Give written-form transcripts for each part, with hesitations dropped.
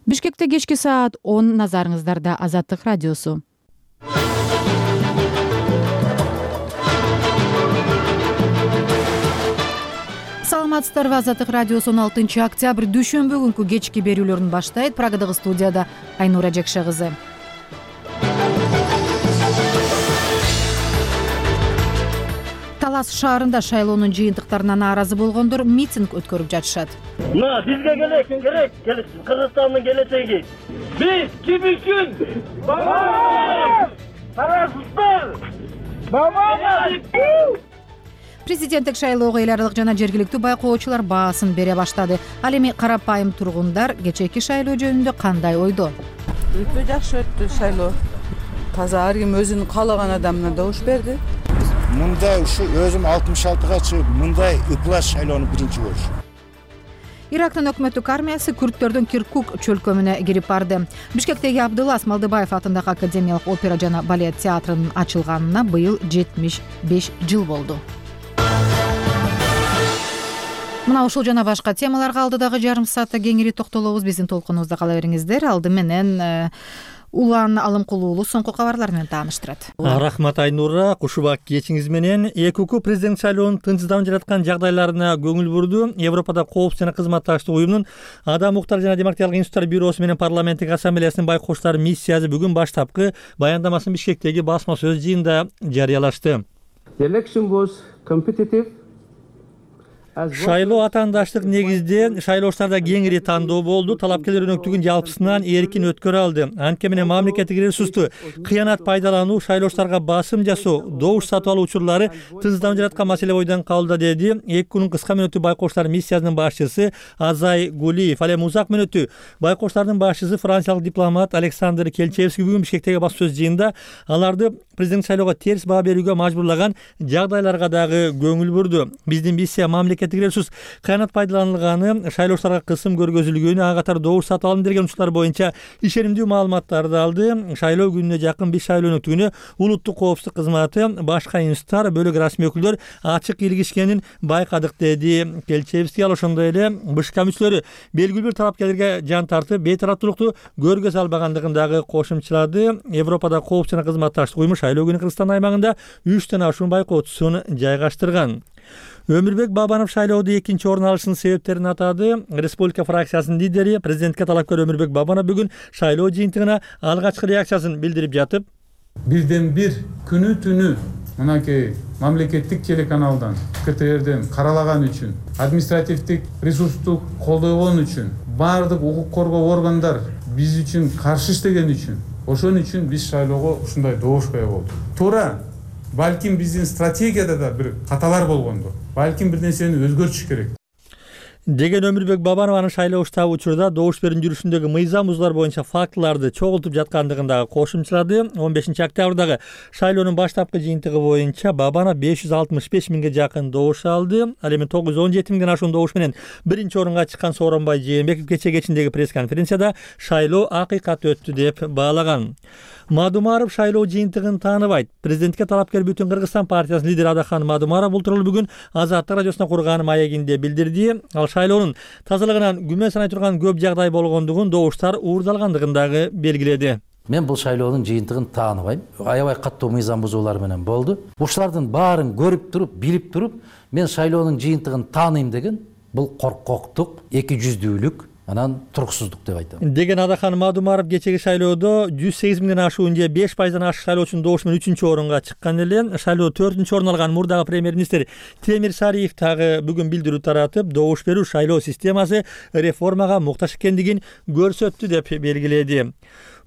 Бишкекте кечки саат 10 назарыңыздарда Азаттык радиосу. Саламатсыздарбы, Азаттык радиосу 16 октябрь дүйшөмбү күнкү кечки берүүлөрүн баштайт. Прагадагы студияда Айнура Жекше кызы. Талас шаарында шайлоонун жыйынтыктарына нааразы болгондор митинг өткөрүп жатышат. Бизге керек Кыргызстандын келечеги. Биз ким үчүн? Президенттик шайлоого эл аралык жана жергиликтүү байкоочулар баасын бере баштады. Ал эми карапайым тургундар кечээки шайлоо жөнүндө кандай ойдо? Өтө жакшы өттү шайлоо. Таза ар ким өзүнүн каалаган адамына добуш берди. Мындай ушу өзүм 66-га чыгып, мындай ыплас шайлоону биринчи көрүшүм. Ирактын өкмөттүк армиясы күрттөрдүн Киркук чөлкөмүнө кирип барды. Бишкектеги Абдылас Малдыбаев атындагы академиялык опера жана балет театрынын ачылганына быйыл 75 жыл болду. Мына ушул жана башка темаларга алдыдагы жарым саатта кеңири токтолобуз. Биздин толкунубузда кала бериңиздер. Алды менен Улан Алымкулуулу соңку кабарлар менен тааныштырат. Рахмат Айнура, кушубак кечиңиз менен. ЭКУ президент шайлоонун тынчсызданып жаткан жагдайларына көңүл бурду. Европада коопсуздук жана кызматташтык уюмунун Адам укуктары жана демократиялык институттар бюросу менен парламенттик ассамблеясынын байкоочулар миссиясы бүгүн баштапкы баяндамасын Бишкектеги басма сөз жыйынында жарыялашты. Шайлоо атаандаштык негизде шайлоочуларда кеңири тандоо болду. Талапкерлер өнөктүгүн жалпысынан эркин өткөрө алды. Анткени менен мамлекеттик ресурсту кыянат пайдалануу, шайлоочуларга басым жасоо, добуш сатып алуу учурлары тынчсызданып жаткан маселе бойдон калды, деди ЭКУнун кыска мөөнөттүү байкоочулар миссиясынын башчысы Азай Гулиев. Ал эми узак мөөнөттүү байкоочулардын башчысы франциялык дипломат Александр Келчевский бүгүн Бишкектеги басма сөз жыйынында аларды президент шайлоого терс баа берүүгө мажбурлаган жагдайларга дагы көңүл бурду. Биздин миссия мамлекеттик ресурс кыянат пайдаланылганы, шайлоочуларга кысым көргөзүлгөнү, ага катар добуш сатып алым берген учурлар боюнча ишенимдүү маалыматтарды алды. Шайлоо күнүнө жакын биз шайлоо өнөктүгүнө улуттук коопсуздук кызматы, башка институттар, бөлөк расмий өкүлдөр ачык илгишкенин байкадык, деди Келчевский. Ал ошондой эле БШК мүчөлөрү белгилүү бир талапкерлерге жан тартып, бейтараптуулукту көргөзө албагандыгын дагы кошумчалады. Европада коопсуздук жана кызматташтык уюму шайлоо күнү Кыргызстан аймагында 3төн ашуун байкоочусун жайгаштырган. Өмүрбек Бабанов шайлоодо экинчи орун алышынын себептерин атады. Республика фракциясынын лидери, президентке талапкер Өмүрбек Бабанов бүгүн шайлоо жыйынтыгына алгачкы реакциясын билдирип жатып, бирден бир күнү түнү мынакей мамлекеттик телеканалдан, КТРден каралаган үчүн, административдик ресурсту колдогон үчүн, баардык укук коргоо органдар биз үчүн каршы иштеген үчүн, ошон үчүн биз шайлоого ушундай добуш кое болдук. Туура, балким биздин стратегияда да бир каталар болгондо, балким бир нерсени өзгөртүш керек деген Өмүрбек Бабанов анын шайлоо штабы учурда добуш берүүнүн жүрүшүндөгү мыйзам бузуулар боюнча фактыларды чогултуп жаткандыгын дагы кошумчалады. 15 октябрдагы шайлоонун баштапкы жыйынтыгы боюнча Бабанов 565 миңге жакын добуш алды. Ал эми 917 миңден ашуун добуш менен биринчи орунга чыккан Сооронбай Жээнбеков кечээ кечиндеги пресс-конференцияда шайлоо акыйкат өттү деп баалаган. Мадумаров шайлоо жыйынтыгын тааныбайт. Президентке талапкер Бүтүн Кыргызстан партиясынын лидери Адахан Мадумаров бул тууралуу бүгүн Азаттык радиосуна курган маегинде билдирди. Ал шайлоонун тазалыгынан күмөн санай турган көп жагдай болгондугун, добуштар уурдалгандыгын дагы белгиледи. Мен бул шайлоонун жыйынтыгын тааныбайм. Аябай каттуу мыйзам бузуулар менен болду. Ушулардын баарын көрүп туруп, билип туруп, мен шайлоонун жыйынтыгын тааныйм деген бул коркоктук, эки жүздүүлүк, анан туруксуздук деп айтам. Деген Адахан Мадумаров кечеги шайлоодо 108 миңден ашуун же 5%дан ашык шайлоочунун добушу менен 3-чү орунга чыккан эле. Шайлоодо 4-чү орун алган мурдагы премьер-министр Темир Сариев дагы бүгүн билдирүү таратып, добуш берүү шайлоо системасы реформага муктаж экендигин көрсөттү деп белгиледи.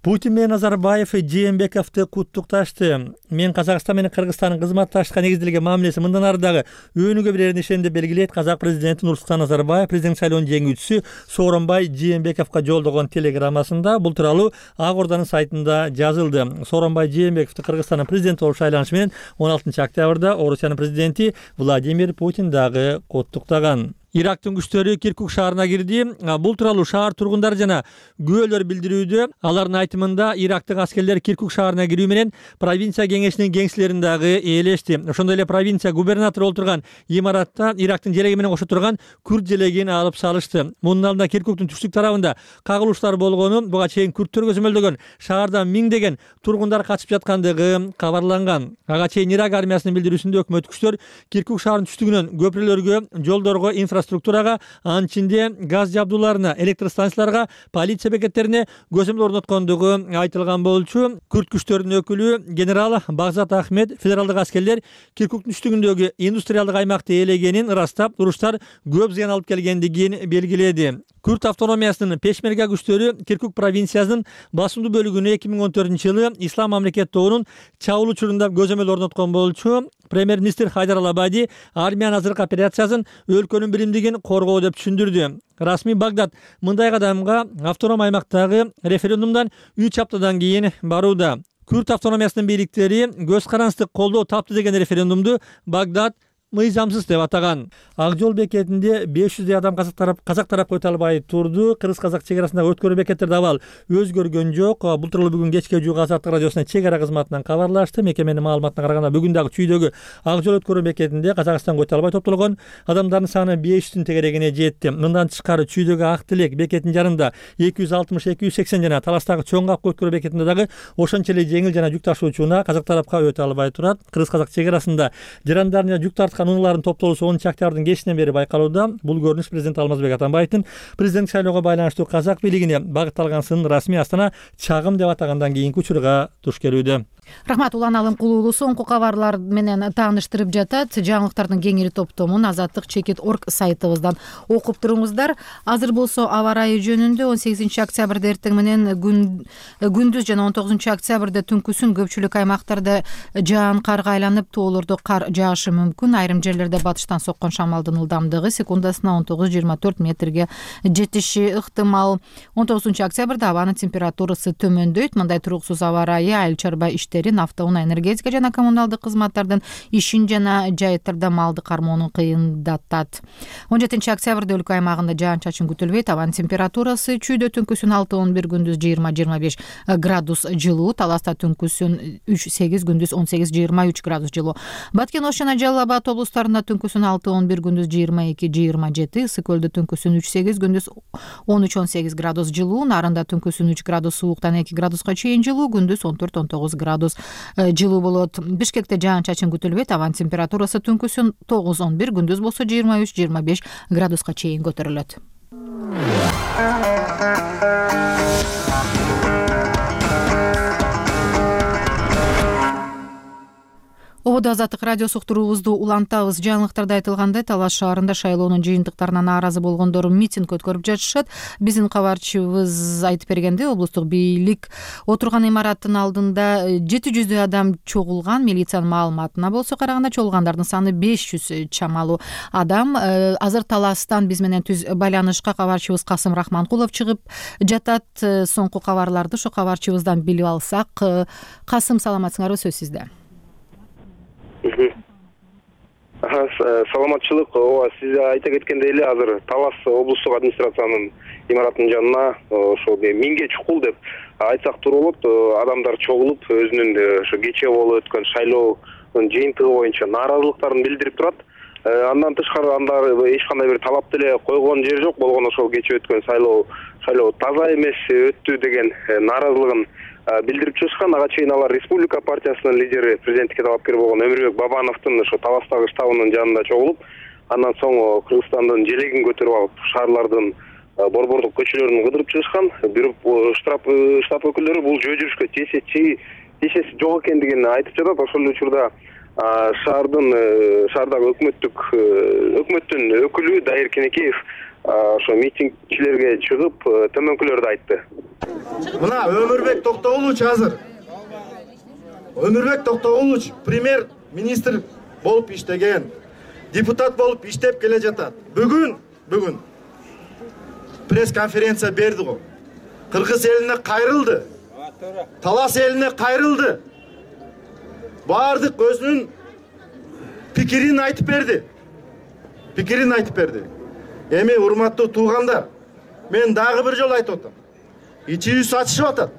Путин менен Назарбаев Жээнбековду куттукташты. Мен Казакстан менен Кыргызстандын кызматташтыкка негизделген мамилеси мындан ары дагы өнүгө берерин ишенем деп белгилейт казак президенти Нурсултан Назарбаев президент шайлоонун жеңүүчүсү Сооронбай Жээнбековго жолдогон телеграммасында. Бул тууралуу Ак Орданын сайтында жазылды. Сооронбай Жээнбековду Кыргызстандын президенти болуп шайланышы менен 16 октябрда Орусиянын президенти Владимир Путин дагы куттуктаган. Ирактын күчтөрү Киркук шаарына кирди. Бул тууралуу шаар тургундары жана күбөлөр билдирүүдө. Алардын айтымында Ирактын аскерлери Киркук шаарына кирүү менен провинция кеңешинин кеңселерин дагы ээлешти. Ошондой эле провинция губернатору отурган имаратта Ирактын желеги менен кошо турган күрд желегин алып салышты. Мунун алдында Киркуктун түштүк тарабында кагылыштар болгону, буга чейин күрдтөр көзөмөлдөгөн шаардан миңдеген тургундар качып жаткандыгы кабарланган. Ага чейин Ирак армиясынын билдирүүсүндө өкмөт күчтөр Киркук шаарынын түштүгүнөн көпүрөлөргө, жолдорго, инфраструктурага, анын ичинде газ жабдууларына, электр станцияларга, полиция бекеттерине көзөмөл орноткондугу айтылган болчу. Күрд күчтөрүнүн өкүлү генерал Багзат Ахмед федералдык аскерлер Киркуктун түштүгүндөгү индустриалдык аймакты ээлегенин ырастап, уруштар көп зыян алып келгендигин белгиледи. Күрд автономиясынын пешмерга күчтөрү Киркук провинциясынын басымдуу бөлүгүнө 2014-жылы Ислам мамлекет тобунун чабуул учурунда көзөмөл орноткон болчу. Премьер-министр Хайдар Алабади армиянын азыркы операциясын өлкөнүн биримдигин коргоо деп түшүндүрдү. Расмий Багдад мындай кадамга автоном аймактагы референдумдан 3 аптадан кийин барууда. Күрд автономиясынын бийликтери көз карансыздык колдоо тапты деген референдумду Багдад мыйзамсыз деп атаган. Ак жол бекетинде 500 адам казак тарапка өтө албай турду. Кыргыз-казак чек арасындагы өткөрүү бекеттерде абал өзгөргөн жок. Бул тууралуу бүгүн кечке Жуга Азаттык радиосуна чек ара кызматынан кабарлашты. Мекеменин маалыматына караганда бүгүн дагы чүйдөгү ак жол өткөрүү бекетинде Казакстанга өтө албай топтолгон адамдардын саны 500-тün тегерегине жетти. Мындан тышкары чүйдөгү Ак Тилек бекетинин жарында 260-280 жана Таластагы Чоң Капка өткөрүү бекетинде дагы ошончо эле жеңил жана жүк ташуучуна казак тарапка өтө албай турат. Кыргыз-казак чек арасында жарандар жана жүк тарткан унаалардын топтолуусу 10 октябрдын кечинен бери байкалууда. Бул көрүнүш президент Алмазбек Атамбаевдин президенттик шайлоого байланыштуу казак бийлигине багытталган сынын расмий Астана чагым деп атагандан кийинки учурга туш келүүдө. Рахмат, Улан Алым Кулуулу соңку кабарлар менен тааныштырып жатат. Жаңылыктардын кеңири топтомун azatlyk.org сайтыбыздан окуп туруңуздар. Азыр болсо аба ырайы жөнүндө 18 октябрда эртең менен күндүз жана 19 октябрда түнкүсүн көпчүлүк аймактарда жаан карга айланып, тоолордо кар жаашы мүмкүн. Айрым жерлерде батыштан соккон шамалдын ылдамдыгы секундасына 19-24 метрге жетиши ыктымал. 19 октябрда абанын температурасы төмөндөйт. Мындай туруксуз аба ырайы айыл чарба автоунаа, энергетика жана коммуналдык кызматтардын ишин жана жайыттарда малды кармоонун кыйындатат. 17 октябрда өлкө аймагында жаан-чачын күтүлбөйт. Абанын температурасы чүйдө түнкүсүн 6-11, күндүз 20-25 градус жылуу. Таласта түнкүсүн 3-8, күндүз 18-23 градус жылуу. Баткен Ош жана Жалал Абад облустарында түнкүсүн 6-11, күндүз 22-27, Ысык көлдө түнкүсүн 3-8, күндүз 13-18 градус жылуу. Нарында түнкүсүн 3 градус сууктан 2 градуска чейин жылуу, күндүз 14-19 градус жылуу болот. Бишкекте жаан-чачын күтүлбөйт. Абанын температурасы түнкүсүн 9-11, күндүз болсо 23-25 градуска чейин көтөрүлөт. Ободо Азаттык радио суктуруубузду улантабыз. Жаңылыктарда айтылгандай, Талас шаарында шайлоонун жыйынтыктарына нааразы болгондор митинг өткөрүп жатышат. Биздин кабарчыбыз айтып бергенде, облустук бийлик отурган имараттын алдында 700 адам чогулган. Милициянын маалыматына болсо караганда, чогулгандардын саны 500 чамалуу адам. Азыр Таластан биз менен түз байланышка кабарчыбыз Касым Рахманкулов чыгып жатат. Соңку кабарларды ошо кабарчыбыздан билип алсак. Касым, саламатсыңарбы, сөз сизде. Саламатчылык. Ооба, сиз айта кеткендей эле азыр Талас облустук администрациянын имаратынын жанына ошо миңге чукул деп айтсак туура болот. Адамдар чогулуп өзүнүн ошо кечээ болуп өткөн шайлоонун жыйынтыгы боюнча нааразылыктарын билдирип турат. Андан тышкары анда эч кандай бир талап деле койгон жери жок. Болгону ошол кечээ өткөн шайлоо таза эмес өттү деген нааразылыгын билдирип чыгышкан. Ага чейин алар Республика партиясынын лидери, президенттикке талапкер болгон Өмүрбек Бабановдун ошо Таластагы штабынын жанында чогулуп, андан соң Кыргызстандын желегин көтөрүп алып, шаарлардын борбордук көчөлөрүн кыдырып чыгышкан. Бирок штаб өкүлдөрү бул жөө жүрүшкө тиешеси жок экендигин айтып жатат. Ошол учурда шаардагы өкмөттүн өкүлү Дайыр Кенекеев ошо митингчилерге чыгып төмөнкүлөрдү айтты. Мына Өмүрбек Токтогулович азыр. Өмүрбек Токтогулович премьер-министр болуп иштеген, депутат болуп иштеп келе жатат. Бүгүн пресс-конференция берди го. Кыргыз элине кайрылды. Талас элине кайрылды. Бардык өзүнүн пикирин айтып берди. Эми урматтуу туугандар, мен дагы бир жолу айтып атам. İçimiz açışıp atat.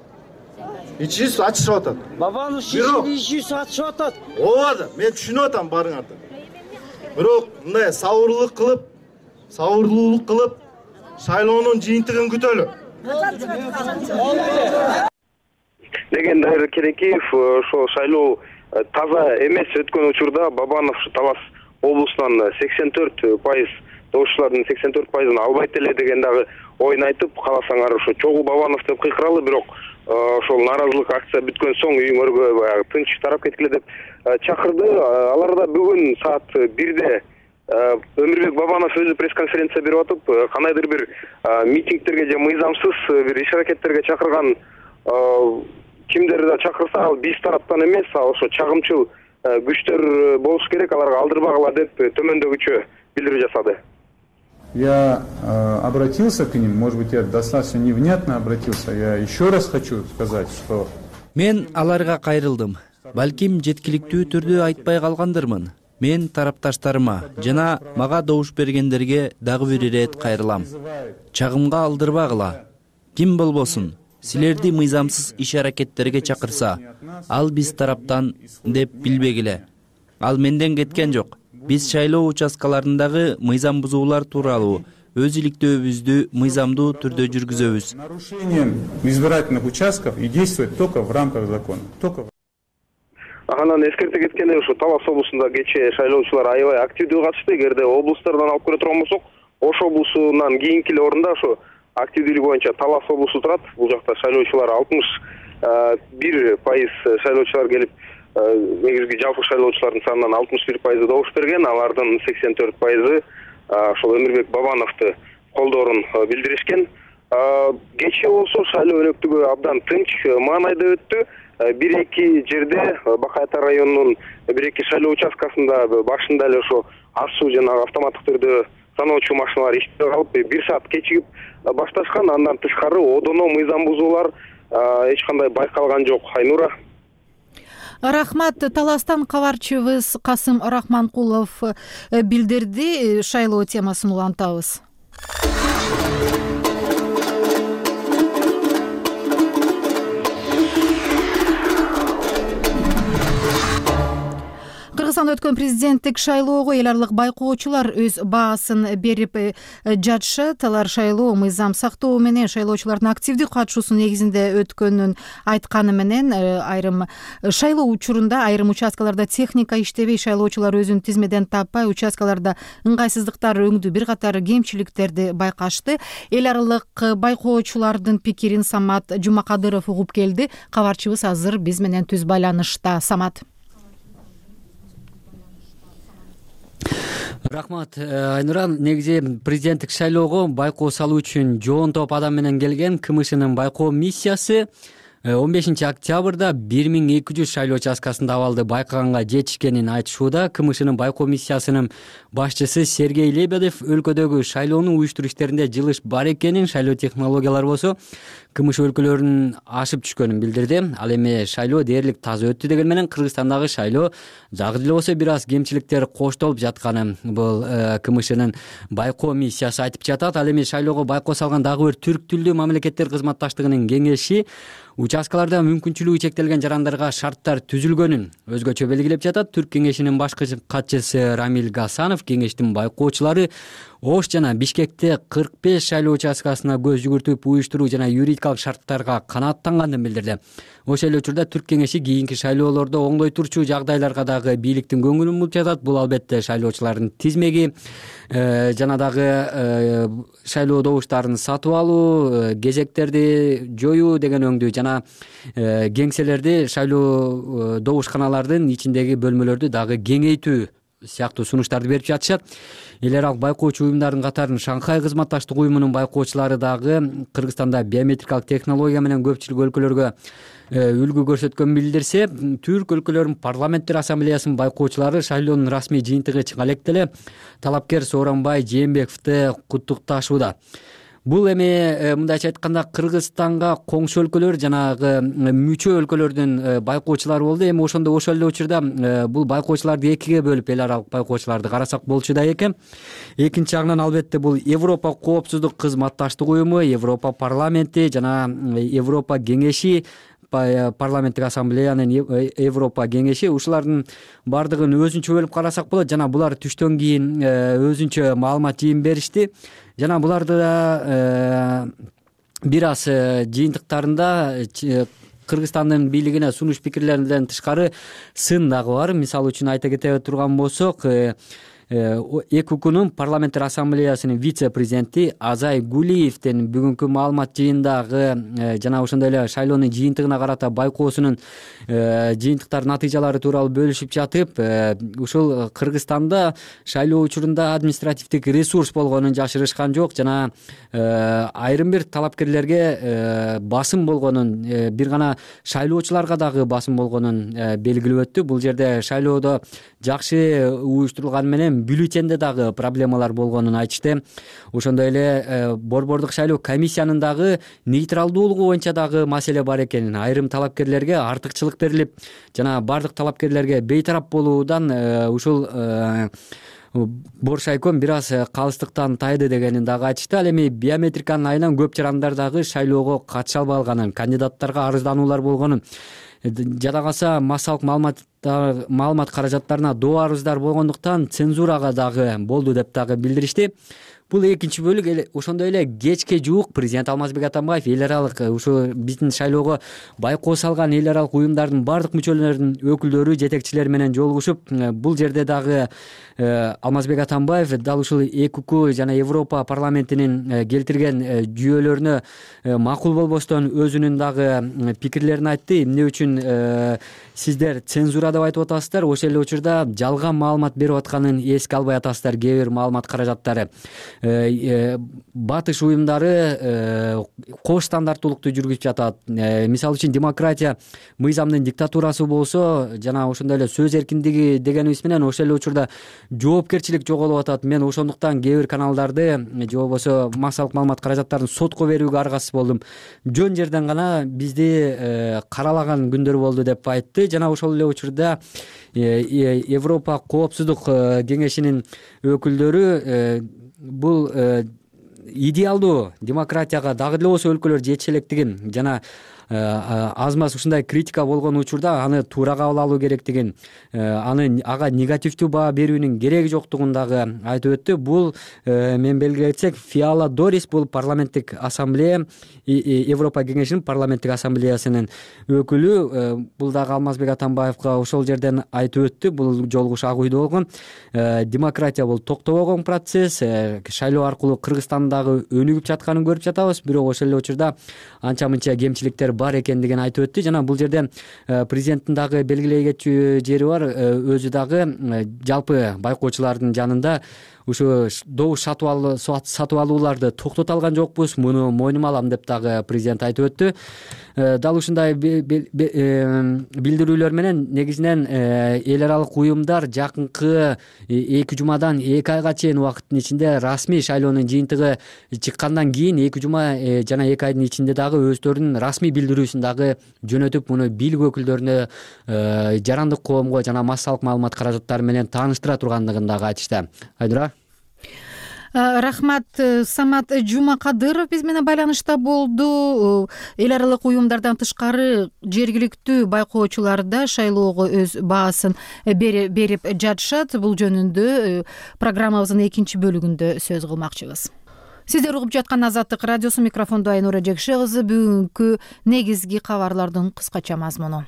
İçimiz açışıp atat. Babanın içimiz açışıp atat. Ооба, мен түшүнүп атам барыңарды. Бирок мындай сабырлуулук кылып, шайлоонун жыйынтыгын күтөлү. Дегенде Керекеев ошо шайлоо таза эмес өткөн учурда Бабанов Талас облусунан 84% добушчулардын 84%ын албайт эле деген дагы оюн айтып, кааласаңар ошо чогуу Бабанов деп кыйкыралы, бирок ошол нааразылык акция бүткөн соң үйүңөргө баягы тынч тарап кеткиле деп чакырды. Алар да бүгүн саат 1-де Өмүрбек Бабанов өзү пресс-конференция берип атып, кандайдыр бир митингтерге же мыйзамсыз бир иш-аракеттерге чакырган кимдерди да чакырса, ал биз тараптан эмес, ошо чагымчыл күчтөр болуш керек, аларга алдырбагыла деп төмөндөгүчө билдирүү жасады. Я обратился к ним, может быть, я достаточно невнятно обратился. Я еще раз хочу сказать, что... Мен аларга кайрылдым. Балким жеткиликтүү түрдө айтпай калгандырмын. Мен тарапташтарыма жана мага добуш бергендерге дагы бир ирет кайрылам. Чагымга алдырбагыла. Ким болбосун, силерди мыйзамсыз иш-аракеттерге чакырса, ал биз тараптан деп билбегиле. Ал менден кеткен жок. Биз шайлоо участкаларындагы мыйзам бузуулар тууралуу өз иликтөөбүздү мыйзамдуу түрдө жүргүзөбүз. Нарушением избирательных участков и действовать только в рамках закона. Анан эскерте кеткенде ошо Талас облусунда кечээ шайлоочулар аябай активдүү катышты. Эгерде облустардан алып көрө турган болсок, Ош облусунан кийинки орунда ошо активдүүлүк боюнча Талас облусу турат. Бул жакта шайлоочулар 61% шайлоочулар келип, негизги жалпы шайлоочулардын санынан 61% добуш берген, алардын 84% ошол Өмүрбек Бабановду колдоорун билдиришкен. Кечээ болсо шайлоо өнөктүгү абдан тынч, маанайда өттү. Бир-эки жерде Бакайата районунун бир-эки шайлоо участкасында башында эле ошо асуу жана автоматтык түрдө саноочу машиналар иштебей калып, 1 саат кечигип башташкан. Андан тышкары одоно мыйзам бузуулар эч кандай байкалган жок. Айнура. Рахмат. Таластан кабарчыбыз Касым Рахманкулов билдирди. Шайлоо темасын улантабыз. Кыргызстанда өткөн президенттик шайлоого эл аралык байкоочулар өз баасын берип жатышат. Алар шайлоо мыйзам сактоо менен шайлоочулардын активдүү катышуусу негизинде өткөнүн айтканы менен, айрым шайлоо учурунда айрым участкаларда техника иштебей, шайлоочулар өзүн тизмеден таппай, участкаларда ыңгайсыздыктар өңдү, бир катар кемчиликтерди байкашты. Эл аралык байкоочулардын пикирин Самат Жумакадыров угуп келди. Кабарчыбыз азыр биз менен түз байланышта. Самат. Рахмат. Айнуран, негизи президенттик шайлоого байкоо салуу үчүн жоон топ адам менен келген КМШнын байкоо миссиясы 15 октябрда 1200 шайлоо участкасында абалды байкаганга жетишкенин айтышууда. КМШнын байкоо миссиясынын башчысы Сергей Лебедев өлкөдөгү шайлоону уюштуруу иштеринде жылыш бар экенин, шайлоо технологиялары болсо КМШ өлкөлөрүнүн ашып түшкөнүн билдирди. Ал эми шайлоо дээрлик таза өттү деген менен Кыргызстандагы шайлоо жагы деле болсо бир аз кемчиликтер коштолуп жатканын бул КМШнын байкоо миссиясы айтып жатат. Ал эми шайлоого байкоо салган дагы бир түрк тилдүү мамлекеттер кызматташтыгынын кеңеши участкаларда мүмкүнчүлүгү чектелген жарандарга шарттар түзүлгөнүн өзгөчө белгилеп жатат. Түрк кеңешинин башкы катчысы Рамил Гасанов кеңештин байкоочулары Ош жана Бишкекте 45 шайлоо участкасына көз жүгүртүп, уюштуруу жана юридикалык шарттарга канааттанганын билдирди. Ошол эле учурда Түрк кеңеши кийинки шайлоолордо оңдой турчу жагдайларга дагы бийликтин көңүлүн буруп жатат. Бул албетте шайлоочулардын тизмеги жана дагы шайлоо добуштарын сатып алуу, кезектерди жоюу деген өңдүү жана кеңселерди, шайлоо добушканалардын ичиндеги бөлмөлөрдү дагы кеңейтүү сыяктуу сунуштарды берип жатышат. Эл аралык байкоочу уюмдардын катарын Шанхай кызматташтык уюмунун байкоочулары дагы Кыргызстанда биометрикалык технология менен көпчүлүк өлкөлөргө үлгү көрсөткөнүн билдирсе, түрк өлкөлөрүнүн парламенттер ассамблеясынын байкоочулары шайлоонун расмий жыйынтыгы чыккан электе эле талапкер Сооронбай Жээнбековду куттукташууда. бул эми мындайча айтканда Кыргызстанга коңшу өлкөлөр жанагы мүчө өлкөлөрдүн байкоочулары болду. Эми ошол эле учурда бул байкоочуларды экиге бөлүп эл аралык байкоочуларды карасак болчу да экен. Экинчи жагынан албетте бул Европа коопсуздук кызматташтык уюму, Европа парламенти жана Европа кеңеши, парламенттик ассамблеянын Европа кеңеши, ушулардын бардыгын өзүнчө бөлүп карасак болот. Жана булар түштөн кийин өзүнчө маалымат жыйын беришти. Жана буларды да бир аз жыйынтыктарында Кыргызстандын бийлигине сунуш пикирлеринен тышкары сын дагы бар. Мисалы үчүн айта кете турган болсок, ЭКУКнун парламенттик ассамблеясынын вице-президенти Азай Гулиевдин бүгүнкү маалымат жыйындагы жана ошондой эле шайлоонун жыйынтыгына карата байкоосунун жыйынтыктар натыйжалары тууралуу бөлүшүп жатып, ушул Кыргызстанда шайлоо учурунда административдик ресурс болгонун жашырышкан жок жана айрым бир талапкерлерге басым болгонун, бир гана шайлоочуларга дагы басым болгонун белгилеп өттү. Бул жерде шайлоодо жакшы уюштурулганы менен бюллетенде дагы проблемалар болгонун айтышты. Ошондой эле борбордук шайлоо комиссиянын дагы нейтралдуулугу боюнча дагы маселе бар экен. Айрым талапкерлерге артыкчылык берилип, жана бардык талапкерлерге бейтарап болуудан ушул Боршайком бир аз калыстыктан тайды дегенин дагы айтышты. Ал эми биометриканын айынан көп жарандар дагы шайлоого катыша албай калганын, кандидаттарга арыздануулар болгонун, жада калса массалык маалымат каражаттарына доо арыздар болгондуктан цензурага дагы болду деп дагы билдиришти. Бул экинчи бөлүк. Ошондой эле кечке жуук президент Алмазбек Атамбаев эл аралык ушу биздин шайлоого байкоо салган эл аралык уюмдардын бардык мүчөлөрүнүн өкүлдөрү, жетекчилери менен жолугушуп, бул жерде дагы Алмазбек Атамбаев дал ушул ЭКУК жана Европа парламентинин келтирген жүйөлөрүнө макул болбостон өзүнүн дагы пикирлерин айтты. Эмне үчүн сиздер цензура деп айтып атасыздар, ошол эле учурда жалган маалымат берип атканын эске албай атасыздар. Кээ бир маалымат каражаттары батыш уюмдары кош стандарттуулукту жүргүзүп жатат. Мисалы үчүн демократия мыйзамдын диктатурасы болсо жана ошондой эле сөз эркиндиги дегенибиз менен ошол эле учурда жоопкерчилик жоголуп атат. Мен ошондуктан кээ бир каналдарды же болбосо массалык маалымат каражаттарын сотко берүүгө аргасыз болдум. Жөн жерден гана бизди каралаган күндөр болду деп айтты. Жана ошол эле учурда Европа коопсуздук кеңешинин өкүлдөрү бул идеалдуу демократияга дагы деле болсо өлкөлөр жетише электигин жана аз маз ушундай критика болгон учурда аны туура кабыл алуу керектигин, ага негативдүү баа берүүнүн кереги жоктугун дагы айтып өттү. Бул мен белгилесек Фиала Дорис, бул парламенттик ассамблея, Европа кеңешинин парламенттик ассамблеясынын өкүлү, бул дагы Алмазбек Атамбаевга ошол жерден айтып өттү. Бул жолугуш ак үйдө болгон. Демократия бул токтобогон процесс, шайлоо аркылуу Кыргызстандагы өнүгүп жатканын көрүп жатабыз, бирок ошол эле учурда анча мынча кемчиликтер бар экендигин айтып өттү. Жана бул жерде президенттин дагы белгилей кетчү жери бар. Өзү дагы жалпы байкоочулардын жанында ушу добуш сатып алууларды токтото алган жокпуз, муну мойнума алам деп дагы президент айтып өттү. Дал ушундай билдирүүлөр менен негизинен эл аралык уюмдар жакынкы 2 жумадан 2 айга чейин убакыттын ичинде расмий шайлоонун жыйынтыгы чыккандан кийин 2 жума жана 2 айдын ичинде дагы өздөрүнүн расмий билдирүүсүн дагы жөнөтүп, муну бийлик өкүлдөрүнө, жарандык коомго жана массалык маалымат каражаттары менен тааныштыра тургандыгын дагы айтышты. Айдура. Рахмат. Самат Жумакадыров биз менен байланышта болду. Эл аралык уюмдардан тышкары жергиликтүү байкоочулар да шайлоого өз баасын берип жатышат. Бул жөнүндө программабыздын экинчи бөлүгүндө сөз кылмакчыбыз. Сиздер угуп жаткан Азаттык радиосу, микрофондо Айнура Жекше кызы. Бүгүнкү негизги кабарлардын кыскача мазмуну.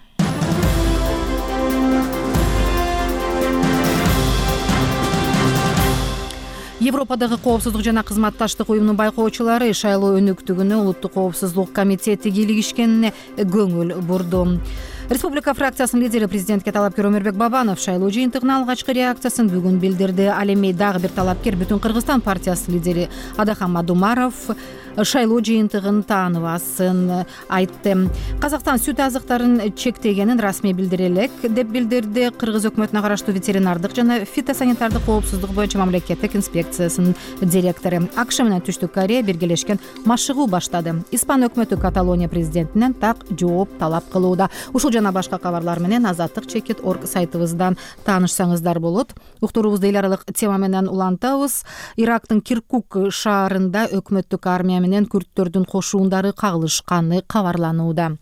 Европадагы коопсуздук жана кызматташтык уюмунун байкоочулары шайлоо өнүктүгүнө Улуттук коопсуздук комитети кийлигишкенине көңүл бурду. Республика фракциясынын лидери президентке талапкер Өмүрбек Бабанов шайлоо жыйынтыгына алгачкы реакциясын бүгүн билдирди. Ал эми дагы бир талапкер Бүтүн Кыргызстан партиясынын лидери Адахан Мадумаров шайлоо жыйынтыгын тааныбасын айтты. Казакстан сүт азыктарын чектегенин расмий билдире элек деп билдирди Кыргыз өкмөтүнө караштуу ветеринардык жана фитосанитардык коопсуздук боюнча мамлекеттик инспекциясынын директору. АКШ менен Түштүк Корея биргелешкен машыгуу баштады. Испан өкмөтү Каталония президентинен так жооп талап кылууда. Ушул жана башка кабарлар менен Азаттык.org сайтыбыздан таанышсаңыздар болот. Уктуруубузду эл аралык тема менен улантабыз. Ирактын Киркук шаарында өкмөттүк армия менен күрттөрдүн кошуундары кагылышканы кабарланууда.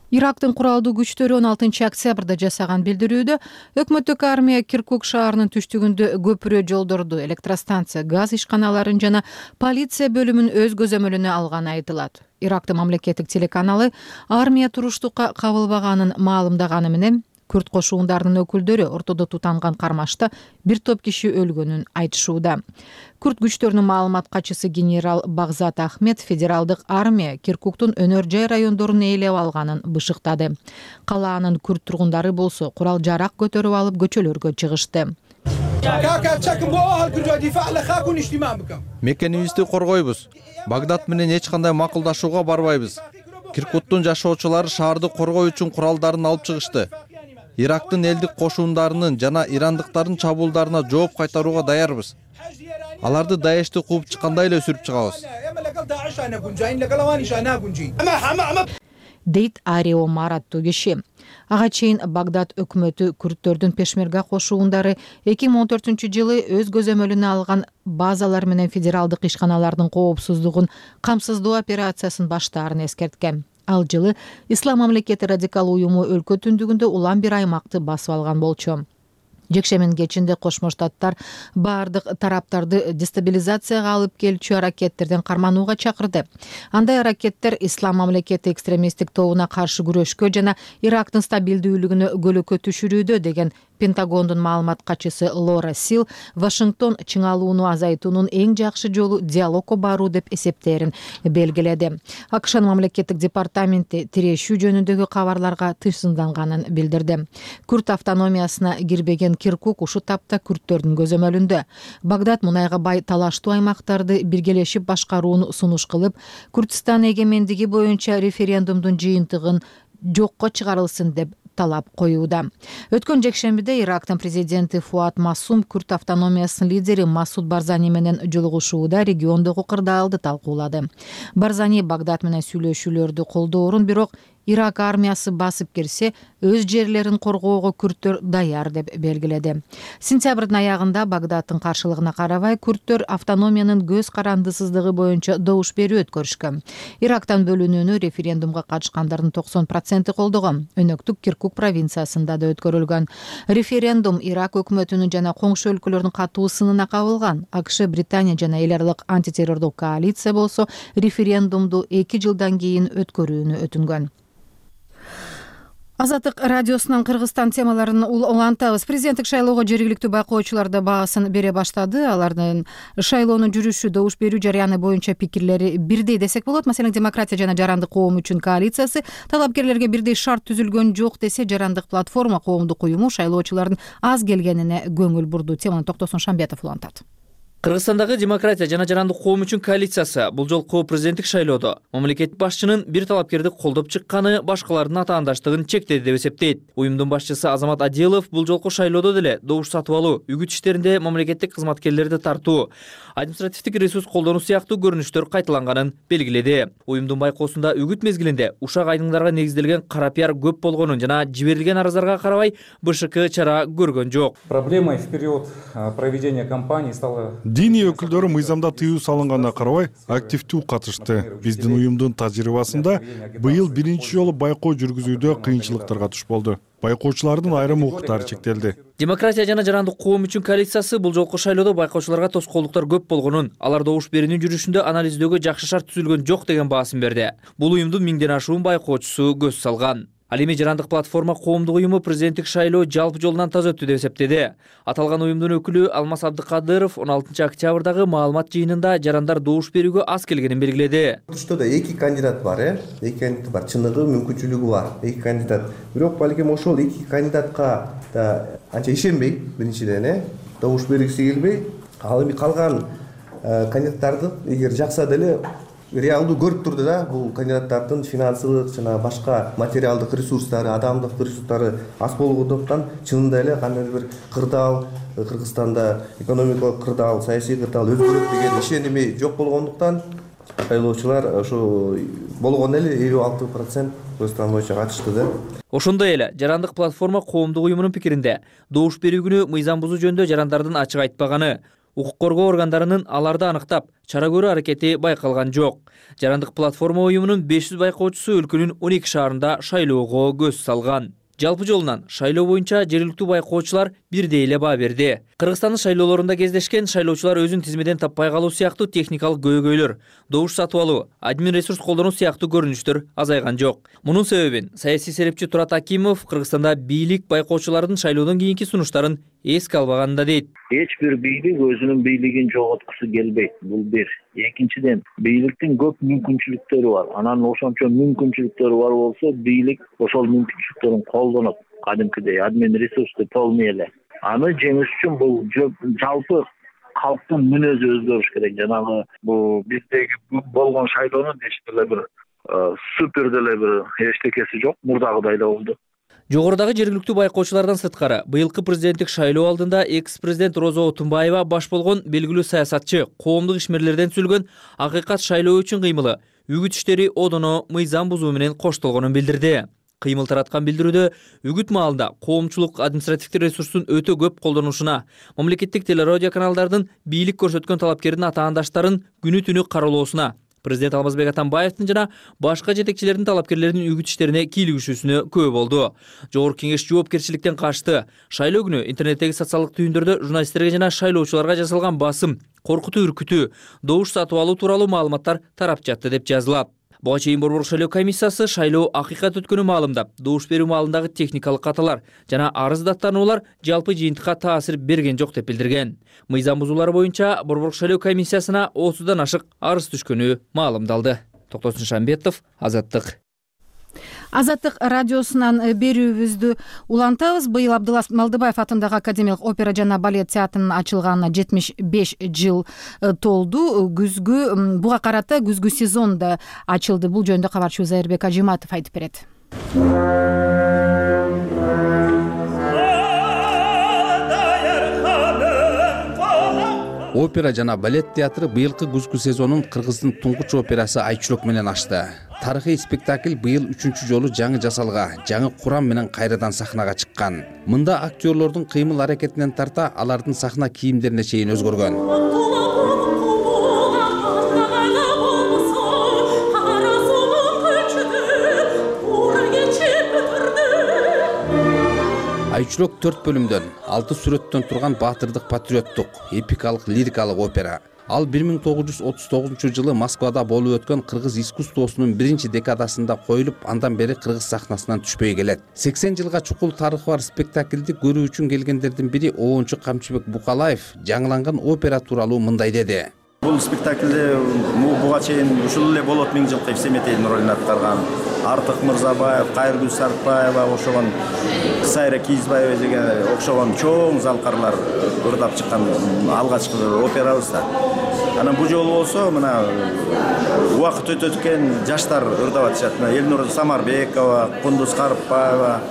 Ирактын куралдуу күчтөрү 16 октябрда жасаган билдирүүдө өкмөттүк армия Киркук шаарынын түштүгүндө көпүрө жолдорду, электростанция, газ ишканаларын жана полиция бөлүмүн өз көзөмөлүнө алганы айтылат. Ирактын мамлекеттик телеканалы армия туруштукка кабылбаганын маалымдаганы менен күрт кошуундарынын өкүлдөрү ортодо тутанган кармашта бир топ киши өлгөнүн айтышууда. Күрт күчтөрүнүн маалымат катчысы генерал Багзат Ахмед федералдык армия Киркуктун өнөр жай райондорун ээлеп алганын бышыктады. Калаанын күрт тургундары болсо курал жарак көтөрүп алып көчөлөргө чыгышты. Мекенибизди коргойбуз. Багдад менен эч кандай макулдашууга барбайбыз. Киркуктун жашоочулары шаарды коргоо үчүн куралдарын алып чыгышты. Ирактын элдик кошуундарынын жана ирандыктардын чабуулдарына жооп кайтарууга даярбыз. Аларды Даешти кууп чыккандай эле сүрүп чыгабыз. Дейт Арио Мар аттуу киши. Ага чейин Багдад өкмөтү күрттөрдүн пешмерга кошуундары 2014-жылы өз көзөмөлүнө алган базалар менен федералдык ишканалардын коопсуздугун камсыздоо операциясын баштаарын эскерткен. Ал жылы Ислам мамлекети радикал уюму өлкө түндүгүндө улам бир аймакты басып алган болчу. Жекшемин кечинде Кошмо Штаттар баардык тараптарды дестабилизацияга алып келчү аракеттерден карманууга чакырды. Андай аракеттер Ислам мамлекети экстремисттик тобуна каршы күрөшкө жана Ирактын стабилдүүлүгүнө көлөкө түшүрүүдө деген Пентагондун маалымат катчысы Лора Сил Вашингтон чыңалууну азайтуунун эң жакшы жолу диалогко баруу деп эсептерин белгиледи. АКШнын мамлекеттик департаменти тирешүү жөнүндөгү кабарларга тыйсымданганын билдирди. Күрт автономиясына кирбеген Киркук ушул тапта күрттөрдүн көзөмөлүндө. Багдад мунайга бай талаштуу аймактарды биргелешип башкарууну сунуш кылып, Күрдистан эгемендиги боюнча референдумдун жыйынтыгын жокко чыгарылсын деп талап коюуда. Өткөн жекшембиде Ирактын президенти Фуат Масум Күрт автономиясынын лидери Масуд Барзани менен жолугушууда региондогу кырдаалды талкуулады. Барзани Багдад менен сүйлөшүүлөрдү колдоорун, бирок Ирак армиясы басып кирсе, өз жерлерин коргоого күрттөр даяр деп белгиледи. Сентябрдын аягында Багдадтын каршылыгына карабай күрттөр автономиянын көз карандысыздыгы боюнча добуш берүү өткөрүшкөн. Ирактан бөлүнүүнү референдумга катышкандардын 90% колдогон. Өнөктүк Киркук провинциясында да өткөрүлгөн. Референдум Ирак өкмөтүнүн жана коңшу өлкөлөрдүн катуу сынына кабылган. АКШ, Британия жана эл аралык антитеррордук коалиция болсо референдумду 2 жылдан кийин өткөрүүнү өтүнгөн. Азаттык радиосунан Кыргызстан темаларын улантабыз. Президенттик шайлоого жергиликтүү байкоочулар да баасын бере баштады. Алардын шайлоонун жүрүшү, добуш берүү жарыяны боюнча пикирлери бирдей десек болот. Маселен, демократия жана жарандык коом үчүн коалициясы талапкерлерге бирдей шарт түзүлгөн жок десе, жарандык платформа коомдук уюму шайлоочулардын аз келгенине көңүл бурду. Теманы Токтосун Шамбетов улантат. Кыргызстандагы демократия жана жарандык коом үчүн коалициясы бул жолку президенттик шайлоодо мамлекет башчынын бир талапкерди колдоп чыкканы башкалардын атаандаштыгын чектеди деп эсептейт. Уюмдун башчысы Азамат Адилов бул жолку шайлоодо деле добуш сатып алуу, үгүт иштеринде мамлекеттик кызматкерлерди тартуу, административдик ресурс колдонуу сыяктуу көрүнүштөр кайталанганын белгиледи. Уюмдун байкоосунда үгүт мезгилинде ушак айдыңдарга негизделген кара пиар көп болгонун жана жиберилген арыздарга карабай БШК чара көргөн жок. Проблемой в период проведения кампании стала Диний өкүлдөрү мыйзамда тыюу салынганына карабай активдүү катышты. Биздин уюмдун тажрыйбасында быйыл биринчи жолу байкоо жүргүзүүдө кыйынчылыктарга туш болду. Байкоочулардын айрым укуктары чектелди. Демократия жана жарандык коом үчүн коалициясы бул жолку шайлоодо байкоочуларга тоскоолдуктар көп болгонун, алар добуш берүүнүн жүрүшүндө анализдөөгө жакшы шарт түзүлгөн жок деген баасын берди. Бул уюмдун 1000ден ашуун байкоочусу көз салган. Ал эми жарандык платформа коомдук уюму президенттик шайлоо жалпы жолунан таза өттү деп эсептеди. Аталган уюмдун өкүлү Алмаз Абдыкадыров 16 октябрдагы маалымат жыйынында жарандар добуш берүүгө аз келгенин белгиледи. Что да эки кандидат бар, эки кандидат бар, чыныгы, мүмкүнчүлүгү бар, эки кандидат. Бирок балким ошол эки кандидатка да анча ишенбей, биринчиден добуш бергиси келбей, ал эми калган кандидаттарды эгер жакса деле реалдуу көрүп турду да, бул кандидаттардын финансылык жана башка материалдык ресурстары, адамдык ресурстары аз болгондуктан чынында эле кандайдыр бир кырдаал, Кыргызстанда экономикалык кырдаал, саясий кырдаал өзгөрөт деген ишеними жок болгондуктан шайлоочулар ошо болгондо эле 56% көз боюнча катышты да. Ошондой эле Жарандык платформа коомдук уюмунун пикиринде добуш берүү күнү мыйзам бузуу жөнүндө жарандардын ачык айтпаганы, укук коргоо органдарынын аларды аныктап чара көрүү аракети байкалган жок. Жарандык платформа уюмунун 500 байкоочусу өлкөнүн 12 шаарында шайлоого көз салган. Жалпы жолунан шайлоо боюнча жергиликтүү байкоочулар бирдей эле баа берди. Кыргызстандын шайлоолорунда кездешкен шайлоочулар өзүн тизмеден таппай калуу сыяктуу техникалык көйгөйлөр, добуш сатып алуу, админ ресурс колдонуу сыяктуу көрүнүштөр азайган жок. Мунун себебин саясий серепчи Турат Акимов Кыргызстанда бийлик байкоочулардын шайлоодон кийинки сунуштарын эске албаганында дейт. Эч бир бийлик өзүнүн бийлигин жоготкусу келбейт. Бул бир. Экинчиден, бийликтин көп мүмкүнчүлүктөрү бар. Анан ошончо мүмкүнчүлүктөрү бар болсо, бийлик ошол мүмкүнчүлүктөрүн колдонот. Кадимкидей админ ресурсту полный эле. Аны жеңиш үчүн бул жалпы калктын мүнөзү өзгөрүш керек. Жанагы бул биздеги болгон шайлоонун эч деле бир супер деле бир эчтекеси жок, мурдагыдай эле болду. Жогорудагы жергиликтүү байкоочулардан сырткары, быйылкы президенттик шайлоо алдында экс-президент Роза Отунбаева баш болгон белгилүү саясатчы, коомдук ишмерлерден түзүлгөн акыйкат шайлоо үчүн кыймылы, үгүт иштери одоно мыйзам бузуу менен коштолгонун билдирди. Кыймыл тараткан билдирүүдө үгүт маалында коомчулук административдик ресурстун өтө көп колдонушуна, мамлекеттик телерадио каналдардын бийлик көрсөткөн талапкердин атаандаштарын күнү-түнү кароолоосуна, президент Алмазбек Атамбаевдин жана башка жетекчилердин талапкерлердин үгүт иштерине кийлигишүүсүнө күбө болду. Жогорку кеңеш жоопкерчиликтен качты. Шайлоо күнү интернеттеги социалдык түйүндөрдө журналисттерге жана шайлоочуларга жасалган басым, коркутуу үркүтүү, добуш сатып алуу тууралуу маалыматтар тарап жатты деп жазылат. Буга чейин Борбордук шайлоо комиссиясы шайлоо акыйкат өткөнү маалымдап, добуш берүү маалындагы техникалык каталар жана арыз даттануулар жалпы жыйынтыкка таасир берген жок деп билдирген. Мыйзам бузуулар боюнча Борбордук шайлоо комиссиясына 30дан ашык арыз түшкөнү маалымдалды. Токтосун Шамбетов, Азаттык. Азаттык радиосунан берүүбүздү улантабыз. Быйыл Абдылас Малдыбаев атындагы Академиялык опера жана балет театрынын ачылганына 75 жыл толду. Буга карата күзгү сезон да ачылды. Бул жөнүндө кабарчыбыз Айырбек Ажиматов айтып берет. Опера жана балет театры быйылкы күзгү сезонун Кыргыздын туңгуч операсы Айчүрөк менен ачты. Тарыхый спектакль быйыл 3-чү жолу жаңы жасалга, жаңы курам менен кайрадан сахнага чыккан. Мында актерлордун кыймыл аракетинен тарта алардын сахна кийимдерине чейин өзгөргөн. Айчүрөк 4 бөлүмдөн, 6 сүрөттөн турган баатырдык патриоттук, эпикалык лирикалык опера. Ал 1939 жылы Москвада болуп өткөн кыргыз искусствосунун биринчи декадасында коюлуп, андан бери кыргыз сахнасынан түшпөй келет. 80 жылга чукул тарыхы бар спектакльди көрүү үчүн келгендердин бири Оончу Камчыбек Букалаев жаңыланган опера тууралуу мындай деди. Бул спектакльде буга чейин ушул эле Болот Миңжилкыев Семетейдин ролун аткарган, Артык Мырзабаев, Кайыргүл Сартбаева ошогон, Сайра Кийизбаева деген окшогон чоң залкарлар ырдап чыккан алгачкы операбыз да. Анан бул жолу болсо мына убакыт өтөт экен жаштар ырдап атышат. Элнур Самарбекова, Кундуз Карыпбаева,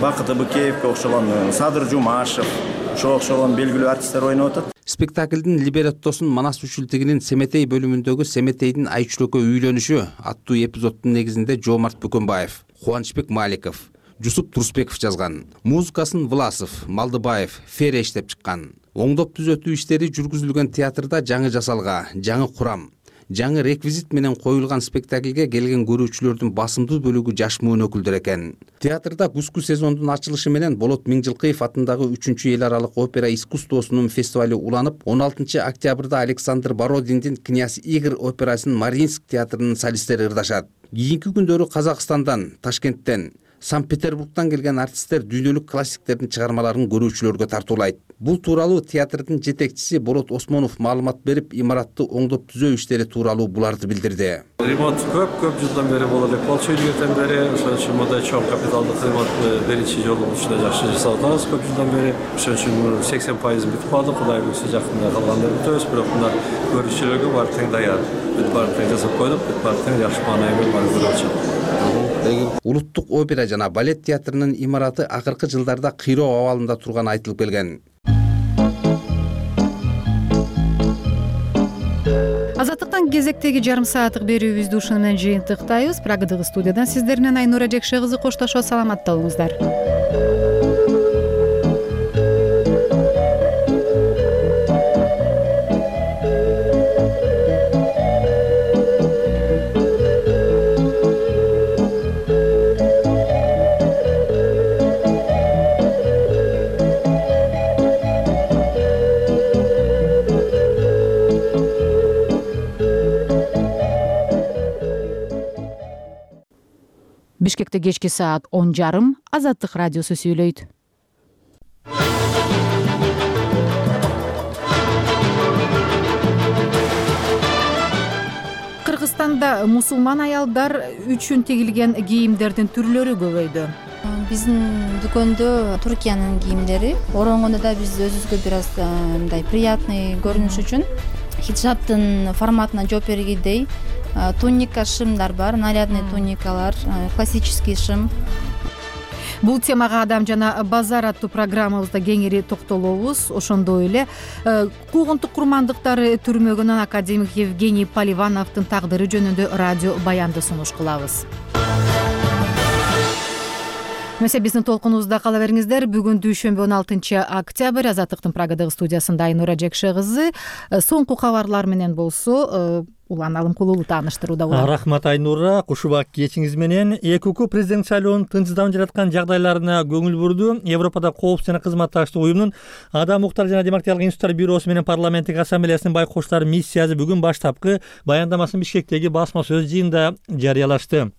Бакыт Быкеевке окшогон, Садыр Жумашев, окшогон белгилүү артисттер ойноп атат. Спектаклдин либреттосун Манас Үчүлтигинин Семетей бөлүмүндөгү Семетейдин Айчүрөккө үйлөнүшү аттуу эпизоддун негизинде Жомарт Бөкөнбаев, Кубанычбек Маликов, Жусуп Турсбеков жазган. Музыкасын Власов, Малдыбаев, Фере иштеп чыккан. Оңдоп түзөтүү иштери жүргүзүлгөн театрда жаңы жасалга, жаңы курам, жаңы реквизит менен коюлган спектакльге келген көрүүчүлөрдүн басымдуу бөлүгү жаш муун өкүлдөр экен. Театрда күзгү сезондун ачылышы менен Болот Миңжилкыев атындагы 3-эл аралык опера искусствосунун фестивали уланып, 16 октябрда Александр Бородиндин Князь Игорь операсынын Мариинск театрынын солисттери ырдашат. Кийинки күндөрү Казакстандан, Ташкенттен, Санкт Петербургтан келген артисттер дүйнөлүк классиктердин чыгармаларын көрүүчүлөргө тартуулайт. Бул тууралуу театрдын жетекчиси Болот Осмонов маалымат берип, имаратты оңдоп түзөө иштери тууралуу буларды билдирди. Ремонт көп жылдан бери болот элек болчу, илгертен бери. Ошон үчүн мындай чоң капиталдык ремонтты биринчи жолу ушундай жакшы жасап атабыз көп жылдан бери. Ошон үчүн 80% бүтүп калды. Кудай буйрса жакында калганда бүтөбүз, бирок мына көрүүчүлөргө баары тең даяр. Бүт баары тең жасап койдук, бүт баары тең жакшы маанай менен баары көрүлөт. Улуттук опера жана балет театрынын имараты акыркы жылдарда кыйроо абалында турганы айтылып келген. Азаттыктан кезектеги жарым сааттык берүүбүздү ушуну менен жыйынтыктайбыз. Прагадагы студиядан сиздер менен Айнура Жекше кызы коштошот. Саламатта болуңуздар. Бишкекте кечки саат 10:30 Азаттык радиосу сүйлөйт. Кыргызстанда мусулман аялдар үчүн тигилген кийимдердин түрлөрү көбөйдү. Биздин дүкөндө Туркиянын кийимдери, оронгондо да биз өзүбүзгө бир аз мындай приятный көрүнүш үчүн хиджабтын форматына жооп бергидей туника, шымдар бар, нарядный туникалар, классический шым. Бул темага Адам жана базар аттуу программабызда кеңири токтолобуз. Ошондой эле куугунтук курмандыктары түрмөгөнөн академик Евгений Поливановдун тагдыры жөнүндө радио баянды сунуш кылабыз. Месе биздин толкунубузда кала бериңиздер. Бүгүн дүйшөмбү 16 октябрь Азаттыктын Прагадагы студиясында Айнура Жекше кызы соңку кабарлар менен болсо Улан Алымкулуулу тааныштырууда болот. Рахмат Айнура, кушубак кечиңиз менен. ЭКУ президент шайлоонун тынчсызданып жаткан жагдайларына көңүл бурду. Европада коопсуздук жана кызматташтык уюмунун Адам укуктары жана демократиялык институттар бюросу менен парламенттик ассамблеясынын байкоочулары миссиясы бүгүн баштапкы баяндамасын Бишкектеги басма сөз жыйынында жарыялашты.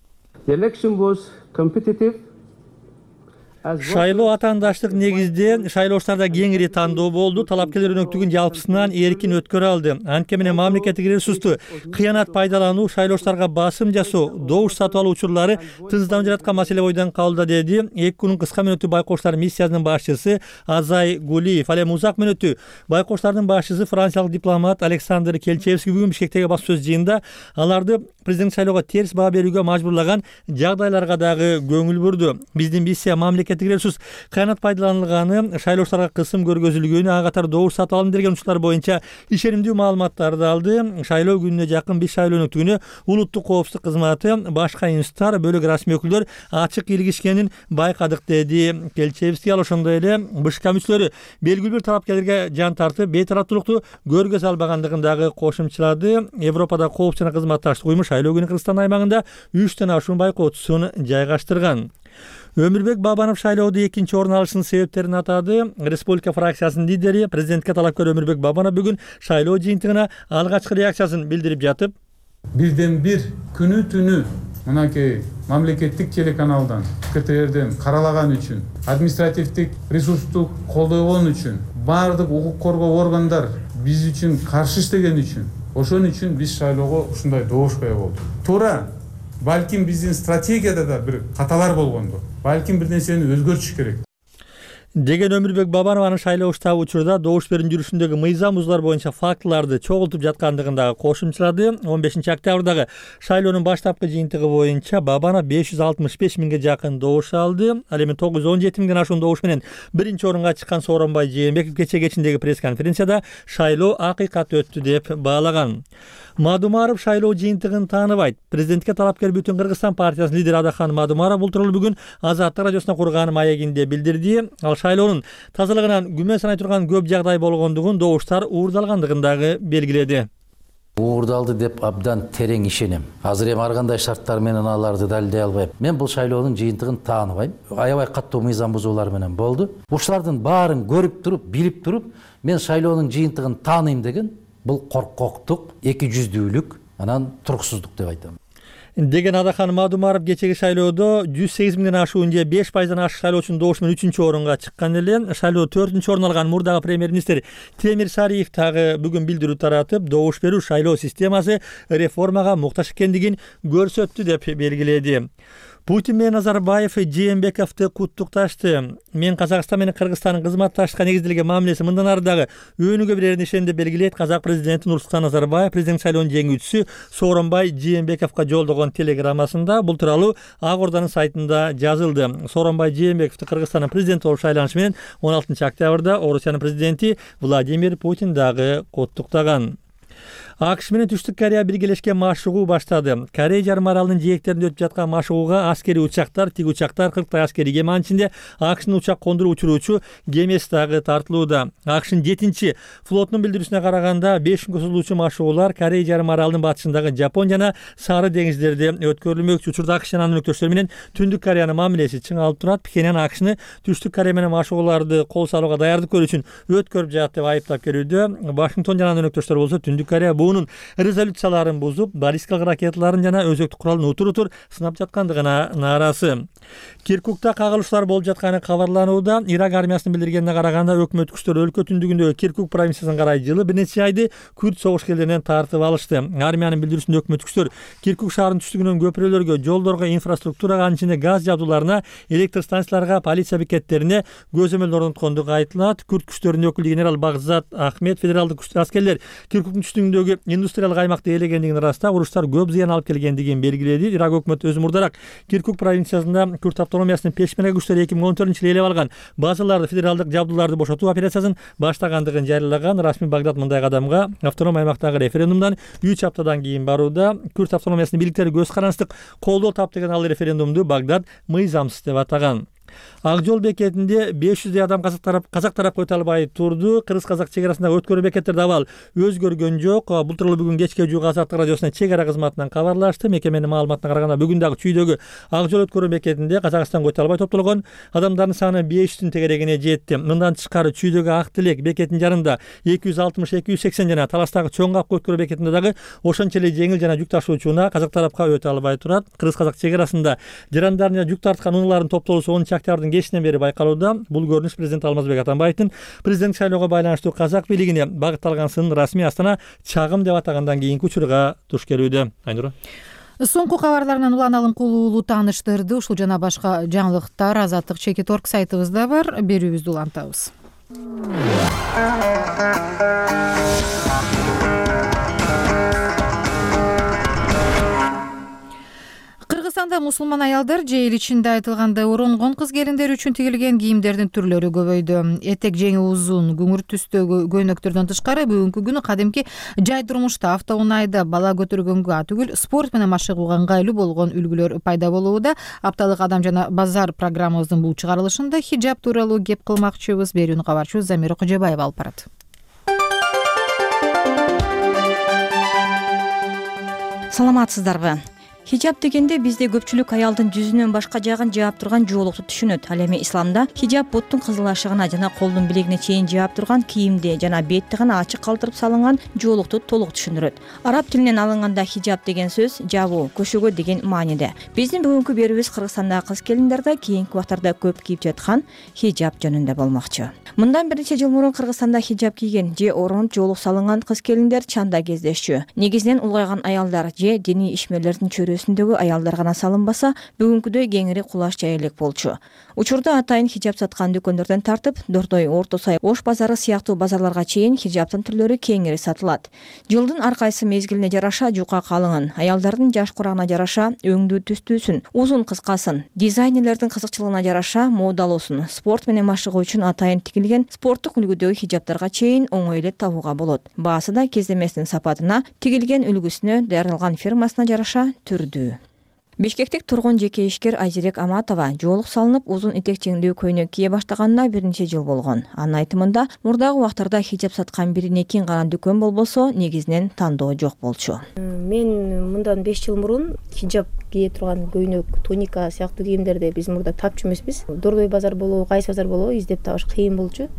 Шайлоо атаандаштык негизде шайлоочуларда кеңири тандоо болду. Талапкерлер өнөктүгүн жалпысынан эркин өткөрө алды. Анткени менен мамлекеттик ресурсту кыянат пайдалануу, шайлоочуларга басым жасоо, добуш сатып алуу учурлары тынчсызданып жаткан маселе бойдон калды деди ЭКУнун кыска мөөнөттүү байкоочулар миссиясынын башчысы Азай Гулиев. Ал эми узак мөөнөттүү байкоочулардын башчысы франциялык дипломат Александр Келчевский бүгүн Бишкектеги басма сөз жыйынында аларды президент шайлоого терс баа берүүгө мажбурлаган жагдайларга дагы көңүл бурду. Биздин миссия мамлекеттик ресурс кыянат пайдаланылганы, шайлоочуларга кысым көргөзүлгөнү, ага катар добуш сатып алым берген учурлар боюнча ишенимдүү маалыматтарды алды. Шайлоо күнүнө жакын биз шайлоо өнөктүгүнө улуттук коопсуздук кызматы, башка институттар, бөлөк расмий өкүлдөр ачык илгишкенин байкадык деди Келчевский. Ал ошондой эле БШК мүчөлөрү белгилүү бир талапкерлерге жан тартып, бейтараптуулукту көргө салбагандыгын дагы кошумчалады. Европада коопсуздук жана кызматташтык уюму шайлоо күнү Кыргызстан аймагында 3төн ашуун байкоочусун жайгаштырган. Өмүрбек Бабанов шайлоодо экинчи орун алышынын себептерин атады. Республика фракциясынын лидери, президентке талапкер Өмүрбек Бабанов бүгүн шайлоо жыйынтыгына алгачкы реакциясын билдирип жатып, бирден бир күнү түнү мынакей мамлекеттик телеканалдан, КТРден каралаган үчүн, административдик ресурсту колдогон үчүн, баардык укук коргоо органдар биз үчүн каршы иштеген үчүн, ошон үчүн биз шайлоого ушундай добуш кое болдук. Туура, балким биздин стратегияда да бир каталар болгондо, балким бир нерсени өзгөртүш керек деген Өмүрбек Бабанов анын шайлоо штабы учурда добуш берүүнүн жүрүшүндөгү мыйзам бузуулар боюнча фактыларды чогултуп жаткандыгын дагы кошумчалады. 15 октябрдагы шайлоонун баштапкы жыйынтыгы боюнча Бабанов 565 миңге жакын добуш алды. Ал эми 917 миңден ашуун добуш менен биринчи орунга чыккан Сооронбай Жээнбеков кечээ кечиндеги пресс-конференцияда шайлоо акыйкат өттү деп баалаган. Мадумаров шайлоо жыйынтыгын тааныбайт. Президентке талапкер Бүтүн Кыргызстан партиясынын лидери Адахан Мадумаров бул тууралуу бүгүн Азаттык радиосуна курган маегинде билдирди. Ал шайлоонун тазалыгынан күмөн санай турган көп жагдай болгондугун, добуштар уурдалгандыгын дагы белгиледи. Уурдалды деп абдан терең ишенем. Азыр эми ар кандай шарттар менен аларды далилдей албайм. Мен бул шайлоонун жыйынтыгын тааныбайм. Аябай каттуу мыйзам бузуулар менен болду. Ушулардын баарын көрүп туруп, билип туруп, мен шайлоонун жыйынтыгын тааныйм деген бул коркоктук, эки жүздүүлүк, анан туруксуздук деп айтам. деген Адахан Мадумаров кечеги шайлоодо 108 миңден ашуун же 5%дан ашык шайлоочунун добушу менен 3-чү орунга чыккан эле. Шайлоодо 4-чү орун алган мурдагы премьер-министр Темир Сариев дагы бүгүн билдирүү таратып, добуш берүү шайлоо системасы реформага муктаж экендигин көрсөттү деп белгиледи. Путин менен Назарбаев Жээнбековду куттукташты. Мен Казакстан менен Кыргызстандын кызматташтыкка негизделген мамилеси мындан ары дагы өнүгө берерин ишенем деп белгилейт казак президенти Нурсултан Назарбаев президент шайлоонун жеңүүчүсү Сооронбай Жээнбековго жолдогон телеграммасында. Бул тууралуу Ак Орданын сайтында жазылды. Сооронбай Жээнбековду Кыргызстандын президенти болуп шайланышы менен 16 октябрда Орусиянын президенти Владимир Путин дагы куттуктаган. АКШ менен Түштүк Корея биргелешкен машыгуу баштады. Корея жарым аралынын жээктеринде өтүп жаткан машыгууга аскери учактар, тиг учактар, 40 аскери кеме ичинде АКШнын учак кондуруп учуруучу кемеси дагы тартылууда. АКШнын 7-чи флотунун билдирүүсүнө караганда 5 күнгө созулуучу машыгуулар Корея жарым аралынын батышындагы Жапон жана Сары деңиздерде өткөрүлмөкчү. Учурда АКШ жана анын өнөктөштөрү менен Түндүк Кореянын мамилеси чыңалып турат. Пхеньян АКШны Түштүк Корея менен машыгууларды кол салууга даярдык көрүү үчүн өткөрүп жатат деп айыптап келүүдө. Вашингтон жана анын өнөктөштөрү болсо Түндүк Корея буунун резолюцияларын бузуп, баллистикалык ракеталарын жана өзөктүк куралын утур-утур сынап жаткандыгына нааразы. Киркукта кагылыштар болуп жатканы кабарланууда. Ирак армиясынын билдиргенине караганда өкмөт күчтөрү өлкө түндүгүндөгү Киркук провинциясына карай жылы бир нече айды күрд согушкерлеринен тартып алышты. Армиянын билдирүүсүндө өкмөт күчтөр Киркук шаарынын түштүгүнөн көпүрөлөргө, жолдорго, инфраструктурага, анын ичинде газ жабдууларына, электр станцияларга, полиция бекеттерине көзөмөл орноткондугу айтылат. Күрд күчтөрүнүн өкүлү генерал Багзат Ахмед федералдык аскерлер Киркуктун түштүгүндөгү индустриялык аймакты ээлегендигин ырастап, уруштар көп зыян алып келгендигин белгиледи. Ирак өкмөтү өзү мурдараак Киркук провинциясында күрд автономиясынын пешмерге күчтөрү 2014-жылы ээлеп алган базаларды, федералдык жабдууларды бошотуу операциясын баштагандыгын жарыялаган. Расмий Багдад мындай кадамга автоном аймактагы референдумдан 3 аптадан кийин барууда. Күрд автономиясынын бийликтери көз карандык колдоо таптыган ал референдумду Багдад мыйзамсыз деп атаган. Ак жол бекетинде 500 адам казак тарапка өтө албай турду. Кыргыз-казак чегарасындагы өткөрүү бекеттерде абал өзгөргөн жок. Бул тууралуу бүгүн кечке жууга Азаттык радиосунун чек ара кызматынан кабарлашты. Мекеменин маалыматына караганда бүгүн дагы чүйдөгү ак жол өткөрүү бекетинде Казакстанга өтө албай топтолгон адамдардын саны 500-тün тегерегине жетти. Мындан тышкары чүйдөгү Ак Тилек бекетинин жарында 260-280 жана Таластагы Чоң Капка өткөрүү бекетинде дагы ошончо эле жеңил жана жүк ташуучуна казак тарапка өтө албай турат. Кыргыз-казак чегарасында жарандарын жүк тарткан унаалардын топтолуусу 10 октябрдын кечинен бери байкалууда. Бул көрүнүш президент Алмазбек Атамбаевдин президент шайлоого байланыштуу казак бийлигине багытталган сынын расмий Астана чагым деп атагандан кийинки учурга туш келүүдө. Айнура. Соңку кабарларынан Улан Алымкулуулу тааныштырды. Ушул жана башка жаңылыктар Азаттык Чекит.org сайтыбызда бар. Берүүбүздү улантабыз. Кыргызстанда мусулман аялдар же эл ичинде айтылгандай оронгон кыз келиндер үчүн тигилген кийимдердин түрлөрү көбөйдү. Этек жеңи узун, күңүр түстөгү көйнөктөрдөн тышкары бүгүнкү күнү кадимки жай турмушта, автоунаайда бала көтөргөнгө түгүл, спорт менен машыгууга ыңгайлуу болгон үлгүлөр пайда болууда. Апталык Адам жана базар программабыздын бул чыгарылышында хиджаб тууралуу кеп кылмакчыбыз. Берүүнү кабарчыбыз Замира Кожобаева алып барат. Саламатсыздарбы? Хиджаб дегенде бизде көпчүлүк аялдын жүзүнөн башка жагын жаап турган жоолукту түшүнөт. Ал эми исламда хиджаб буттун кызыл ашыгына жана колдун билегине чейин жаап турган кийимди жана бетти гана ачык калтырып салынган жоолукту толук түшүндүрөт. Араб тилинен алынганда хиджаб деген сөз жабуу, көшөгө деген мааниде. Биздин бүгүнкү берүүбүз Кыргызстандагы кыз келиндерде кийинки убактарда көп кийип жаткан хиджаб жөнүндө болмокчу. Мындан бир нече жыл мурун Кыргызстанда хиджаб кийген же оронуп жоолук салынган кыз келиндер чанда кездешчү. Негизинен улгайган аялдар же диний ишмерлердин чөрөсүндөгү аялдар гана салынбаса, бүгүнкүдөй кеңири кулаш жая элек болчу. Учурда атайын хиджаб саткан дүкөндөрдөн тартып, Дордой, Орто Сай, Ош базары сыяктуу базарларга чейин хиджабтын түрлөрү кеңири сатылат. Жылдын ар кайсы мезгилине жараша жука калыңын, аялдардын жаш курагына жараша өңдүү түстүүсүн, узун кыскасын, дизайнерлердин кызыкчылыгына жараша модалуусун, спорт менен машыгуу үчүн атайын тигилген спорттук үлгүдөгү хиджабтарга чейин оңой эле табууга болот. Баасы да кездемесинин сапатына, тигилген үлгүсүнө, даярдалган фирмасына жараша түрдүү. Бишкектик тургун жеке ишкер Айзерек Аматова жоолук салынып, узун этек жеңдүү көйнөк кие баштаганына бир нече жыл болгон. Анын айтымында, мурдагы убактарда хиджаб саткан бир-экин гана дүкөн болбосо, негизинен тандоо жок болчу. Мен мындан 5 жыл мурун хиджаб кие турган көйнөк, туника сыяктуу кийимдерди биз мурда тапчу эмеспиз. Дордой базар болобу, кайсы базар болобу издеп табыш кыйын болчу.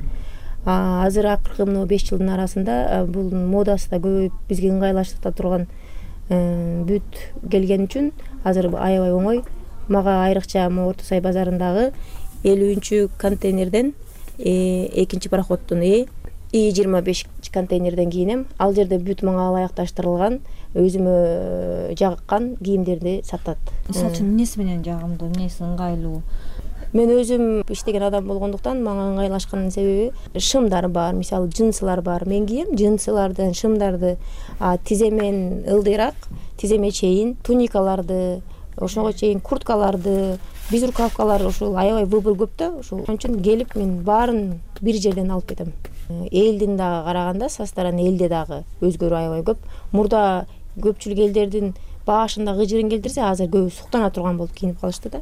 Азыр акыркы 5 жылдын арасында бул модасы да көбөйүп, бизге ыңгайлаштырта турган бүт келген үчүн азыр аябай оңой. Мага айрыкча Орто Сай базарындагы 50 контейнерден экинчи пароходдун И-25 контейнерден кийинем. Ал жерде бүт мага ылайыкташтырылган, өзүмө жаккан кийимдерди сатат. Мисалы үчүн эмнеси менен жагымдуу, эмнеси ыңгайлуу? Мен өзүм иштеген адам болгондуктан мага ыңгайлашканын себеби шымдар бар, мисалы джинсылар бар. Мен кийем джинсылардан шымдарды, тиземен ылдыйраак, тиземе чейин туникаларды, ошого чейин курткаларды, безрукавкалар, ушул аябай выбор көп да. Ошол үчүн келип мен баарын бир жерден алып кетем. Элдин дагы караганда состаран элде дагы өзгөрүү аябай көп. Мурда көпчүлүк элдердин башында кыжырын келтирсе, азыр көбү суктана турган болуп кийинип калышты да.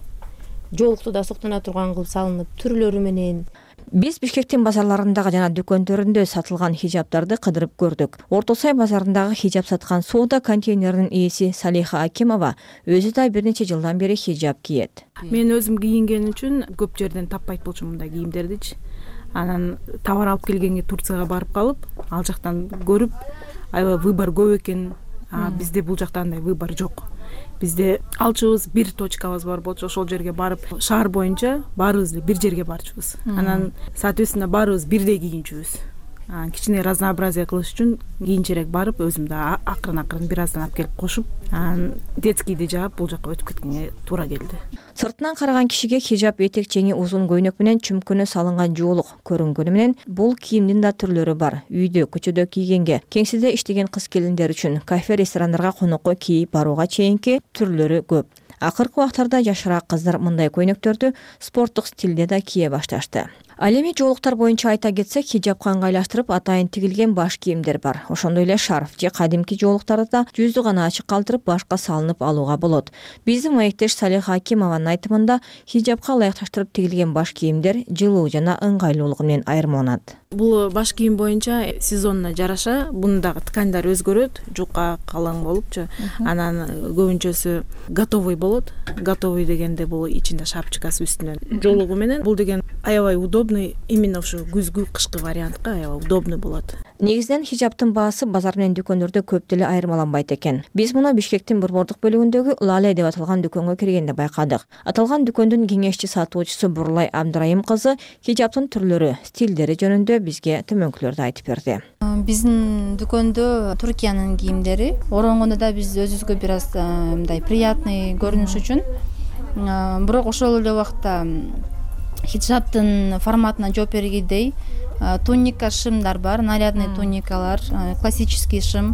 Жолукту да суктана турган кылып салынып, түрлөрү менен. Биз Бишкектин базарларындагы жана дүкөндөрүндө сатылган хижабтарды кыдырып көрдүк. Орто Сай базарындагы хижаб саткан соода контейнеринин ээси Салиха Акимова өзү да бир нече жылдан бери хижаб кийет. Мен өзүм кийинген үчүн көп жерден таппайт болчумун мындай кийимдердичи. Анан товар алып келгенге Турцияга барып калып, ал жактан көрүп, аябай выбор көп экен. Бизде бул жакта андай выбор жок. Бизде алчубуз бир точкабыз бар болчу, ошол жерге барып, шаар боюнча баарыбыз эле бир жерге барчубуз. Анан соответственно баарыбыз бирдей кийинчүбүз. Кичине разнообразие кылыш үчүн кийинчерээк барып, өзүм да акырын бир аздан алып келип кошуп, детскийди жаап бул жакка өтүп кеткенге туура келди. Сыртынан караган кишиге хижаб этек чеңи узун көйнөк менен чүмкөнө салынган жоолук көрүнгөнү менен бул кийимдин да түрлөрү бар. Үйдө, көчөдө кийгенге, кеңседе иштеген кыз келиндер үчүн кафе, ресторандарга конокко кийип барууга чейинки түрлөрү көп. Акыркы убактарда жашыраак кыздар мындай көйнөктөрдү спорттук стилде да кие башташты. Ал эми жоолуктар боюнча айта кетсек, хижабка ыңгайлаштырып атайын тигилген баш кийимдер бар. Ошондой эле шарф же кадимки жоолуктарды да жүздү гана ачык калтырып башка салынып алууга болот. Биздин маектеш Салиха Акимованын айтымында хижабка ылайыкташтырып тигилген баш кийимдер жылуу жана ыңгайлуулугу менен айырмаланат. Бул баш кийим боюнча сезонуна жараша бундагы тканьдар өзгөрөт, жука, калың болупчу. Анан көбүнчөсү готовый болот. Готовый дегенде бул ичинде шапчыкасы үстүнөн жоолугу менен. Бул деген аябай удобный, именно ушу күзгү, кышкы вариантка аябай удобный болот. Негизинен хижабтын баасы базар менен дүкөндөрдө көп деле айырмаланбайт экен. Биз муну Бишкектин борбордук бөлүгүндөгү Лале деп аталган дүкөнгө киргенде байкадык. Аталган дүкөндүн кеңешчи сатуучусу Бурлай Абдрайым кызы хижабтын түрлөрү, стилдери жөнүндө бизге төмөнкүлөрдү айтып берди. Биздин дүкөндө Туркиянын кийимдери, оронгондо да биз өзүбүзгө бир аз мындай приятный көрүнүш үчүн, бирок ошол эле убакта хижабтын форматына жооп бергидей туника шымдар бар, нарядный туникалар, классический шым.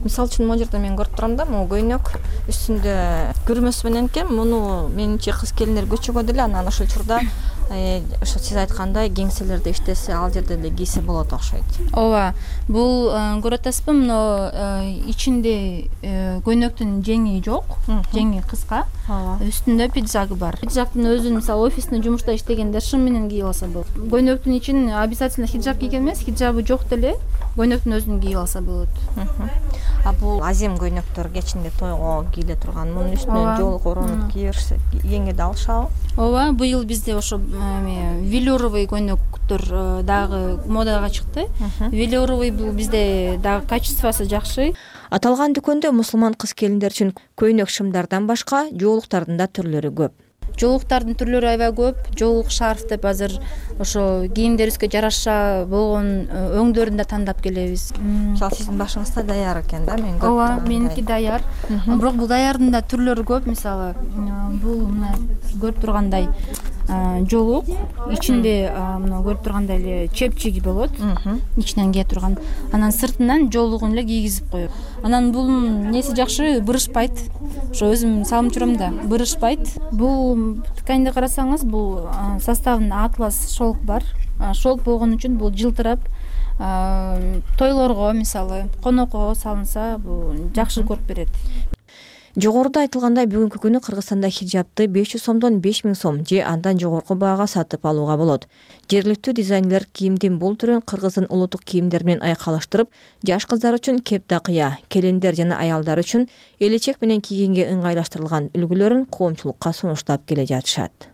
Мисалы үчүн могу жерде мен көрүп турам да, могу көйнөк үстүндө күрмөсү менен экен. Муну менимче кыз келиндер көчөгө деле анан ошол учурда ошо сиз айткандай кеңселерде иштесе, ал жерде эле кийсе болот окшойт. Ооба, бул көрүп атасызбы, мына ичинде көйнөктүн жеңи жок, жеңи кыска, үстүндө пиджагы бар. Пиджактын өзүн мисалы офисный жумушта иштегенде шым менен кийип алса болот. Көйнөктүн ичин обязательно хиджаб кийген эмес, хиджабы жок деле көйнөктүн өзүн кийип алса болот. А бул азем көйнөктөр кечинде тойго кийиле турган, мунун үстүнө жоолук оронуп кийишсе кийгенге да алышабы? Ооба, быйыл бизде ошо велюровый көйнөктөр дагы модага чыкты. Велюровый бул бизде дагы качествосы жакшы. Аталган дүкөндө мусулман кыз келиндер үчүн көйнөк шымдардан башка жоолуктардын да түрлөрү көп. Жоолуктардын түрлөрү аябай көп. Жоолук шарф деп азыр ошо кийимдерибизге жараша болгон өңдөрүн да тандап келебиз. Мисалы сиздин башыңызда даяр экен да, мен көрүп тургам. Ооба, меники даяр. Бирок бул даярдын да түрлөрү көп. Мисалы бул мына көрүп тургандай жоолук, ичинде мына көрүп тургандай эле чепчиги болот, ичинен кие турган. Анан сыртынан жоолугун эле кийгизип коет. Анан бул неси жакшы, бырышпайт. Ошо өзүм салып жүрөм да, бырышпайт. Бул тканьды карасаңыз, бул составында атлас шелк бар. Шелк болгон үчүн бул жылтырап, тойлорго мисалы, конокко салынса, бул жакшы көрүп берет. Жогоруда айтылгандай бүгүнкү күнү Кыргызстанда хижабты 500 сомдон 5000 сом же андан жогорку баага сатып алууга болот. Жергиликтүү дизайнерлер кийимдин бул түрүн кыргыздын улуттук кийимдери менен айкалыштырып, жаш кыздар үчүн кептакыя, келиндер жана аялдар үчүн элечек менен кийгенге ыңгайлаштырылган үлгүлөрүн коомчулукка сунуштап келе жатышат.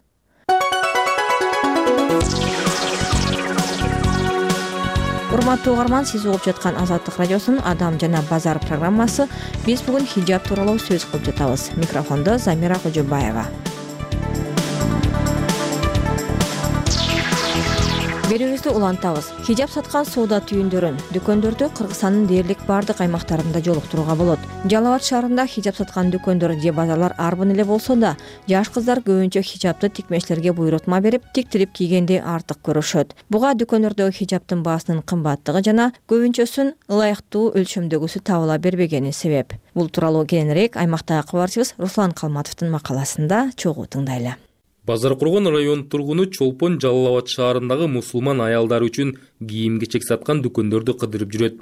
урматтуу угарман, сиз угуп жаткан Азаттык радиосунун Адам жана базар программасы. Биз бүгүн хижаб тууралуу сөз кылып жатабыз. Микрофондо Замира Кожобаева. Берүүбүздү улантабыз. Хижаб саткан соода түйүндөрүн дүкөндөрдү Кыргызстандын дээрлик бардык аймактарында жолуктурууга болот. Жалал Абад шаарында хижаб саткан дүкөндөр же базарлар арбын эле болсо да, жаш кыздар көбүнчө хижабты тикмечилерге буйрутма берип, тиктирип кийгенди артык көрүшөт. Буга дүкөндөрдөгү хижабтын баасынын кымбаттыгы жана көбүнчөсүн ылайыктуу өлчөмдөгүсү табыла бербегени себеп. Бул тууралуу кененирээк аймактагы кабарчыбыз Руслан Калматовдун макаласында чогуу тыңдайлы. Базар Кургон район тургуну Чолпон Жалал Абад шаарындагы мусулман аялдар үчүн кийим-кечек саткан дүкөндөрдү кыдырып жүрөт.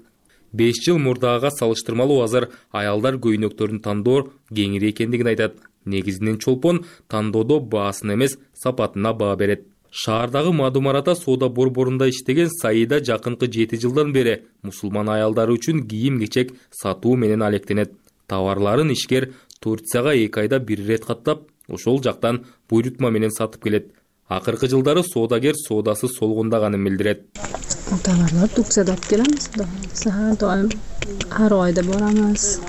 5 жыл мурдага салыштырмалуу азыр аялдар көйнөктөрүн тандоо кеңири экендигин айтат. Негизинен Чолпон тандоодо баасын эмес, сапатына баа берет. Шаардагы Мадумарата соода борборунда иштеген Саида жакынкы 7 жылдан бери мусулман аялдар үчүн кийим-кечек сатуу менен алектенет. Товарларын ишкер Турцияга 2 айда бир ирет каттап, ошол жактан буйрутма менен сатып келет. Акыркы жылдары соодагер соодасы солгундаганын билдирет. Товарлар Турциядан алып келебиз. Ар айда барамыз.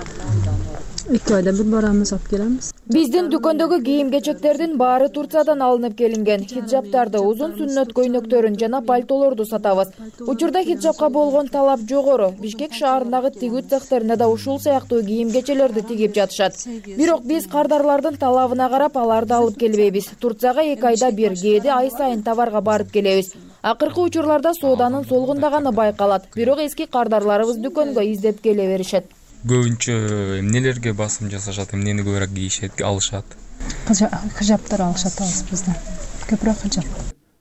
2 айда бир барамыз, алып келебиз. Биздин дүкөндөгү кийим-кечектердин баары Турциядан алынып келинген. Хиджаптарды, узун сүннөт көйнөктөрүн жана пальтолорду сатабыз. Учурда хиджапка болгон талап жогору. Бишкек шаарындагы тигүү цехтерине да ушул сыяктуу кийим-кечелерди тигип жатышат. Бирок биз кардарлардын талабына карап аларды алып келбейбиз. Турцияга 2 айда бир, кээде ай сайын товарга барып келебиз. Акыркы учурларда сооданын солгундаганы байкалат. Бирок эски кардарларыбыз дүкөнгө издеп келе беришет. Көбүнчө эмнелерге басым жасашат, эмнени көбүрөөк кийишет, алышат? Хижаптар алышат бизden. Көбүрөөк хижап.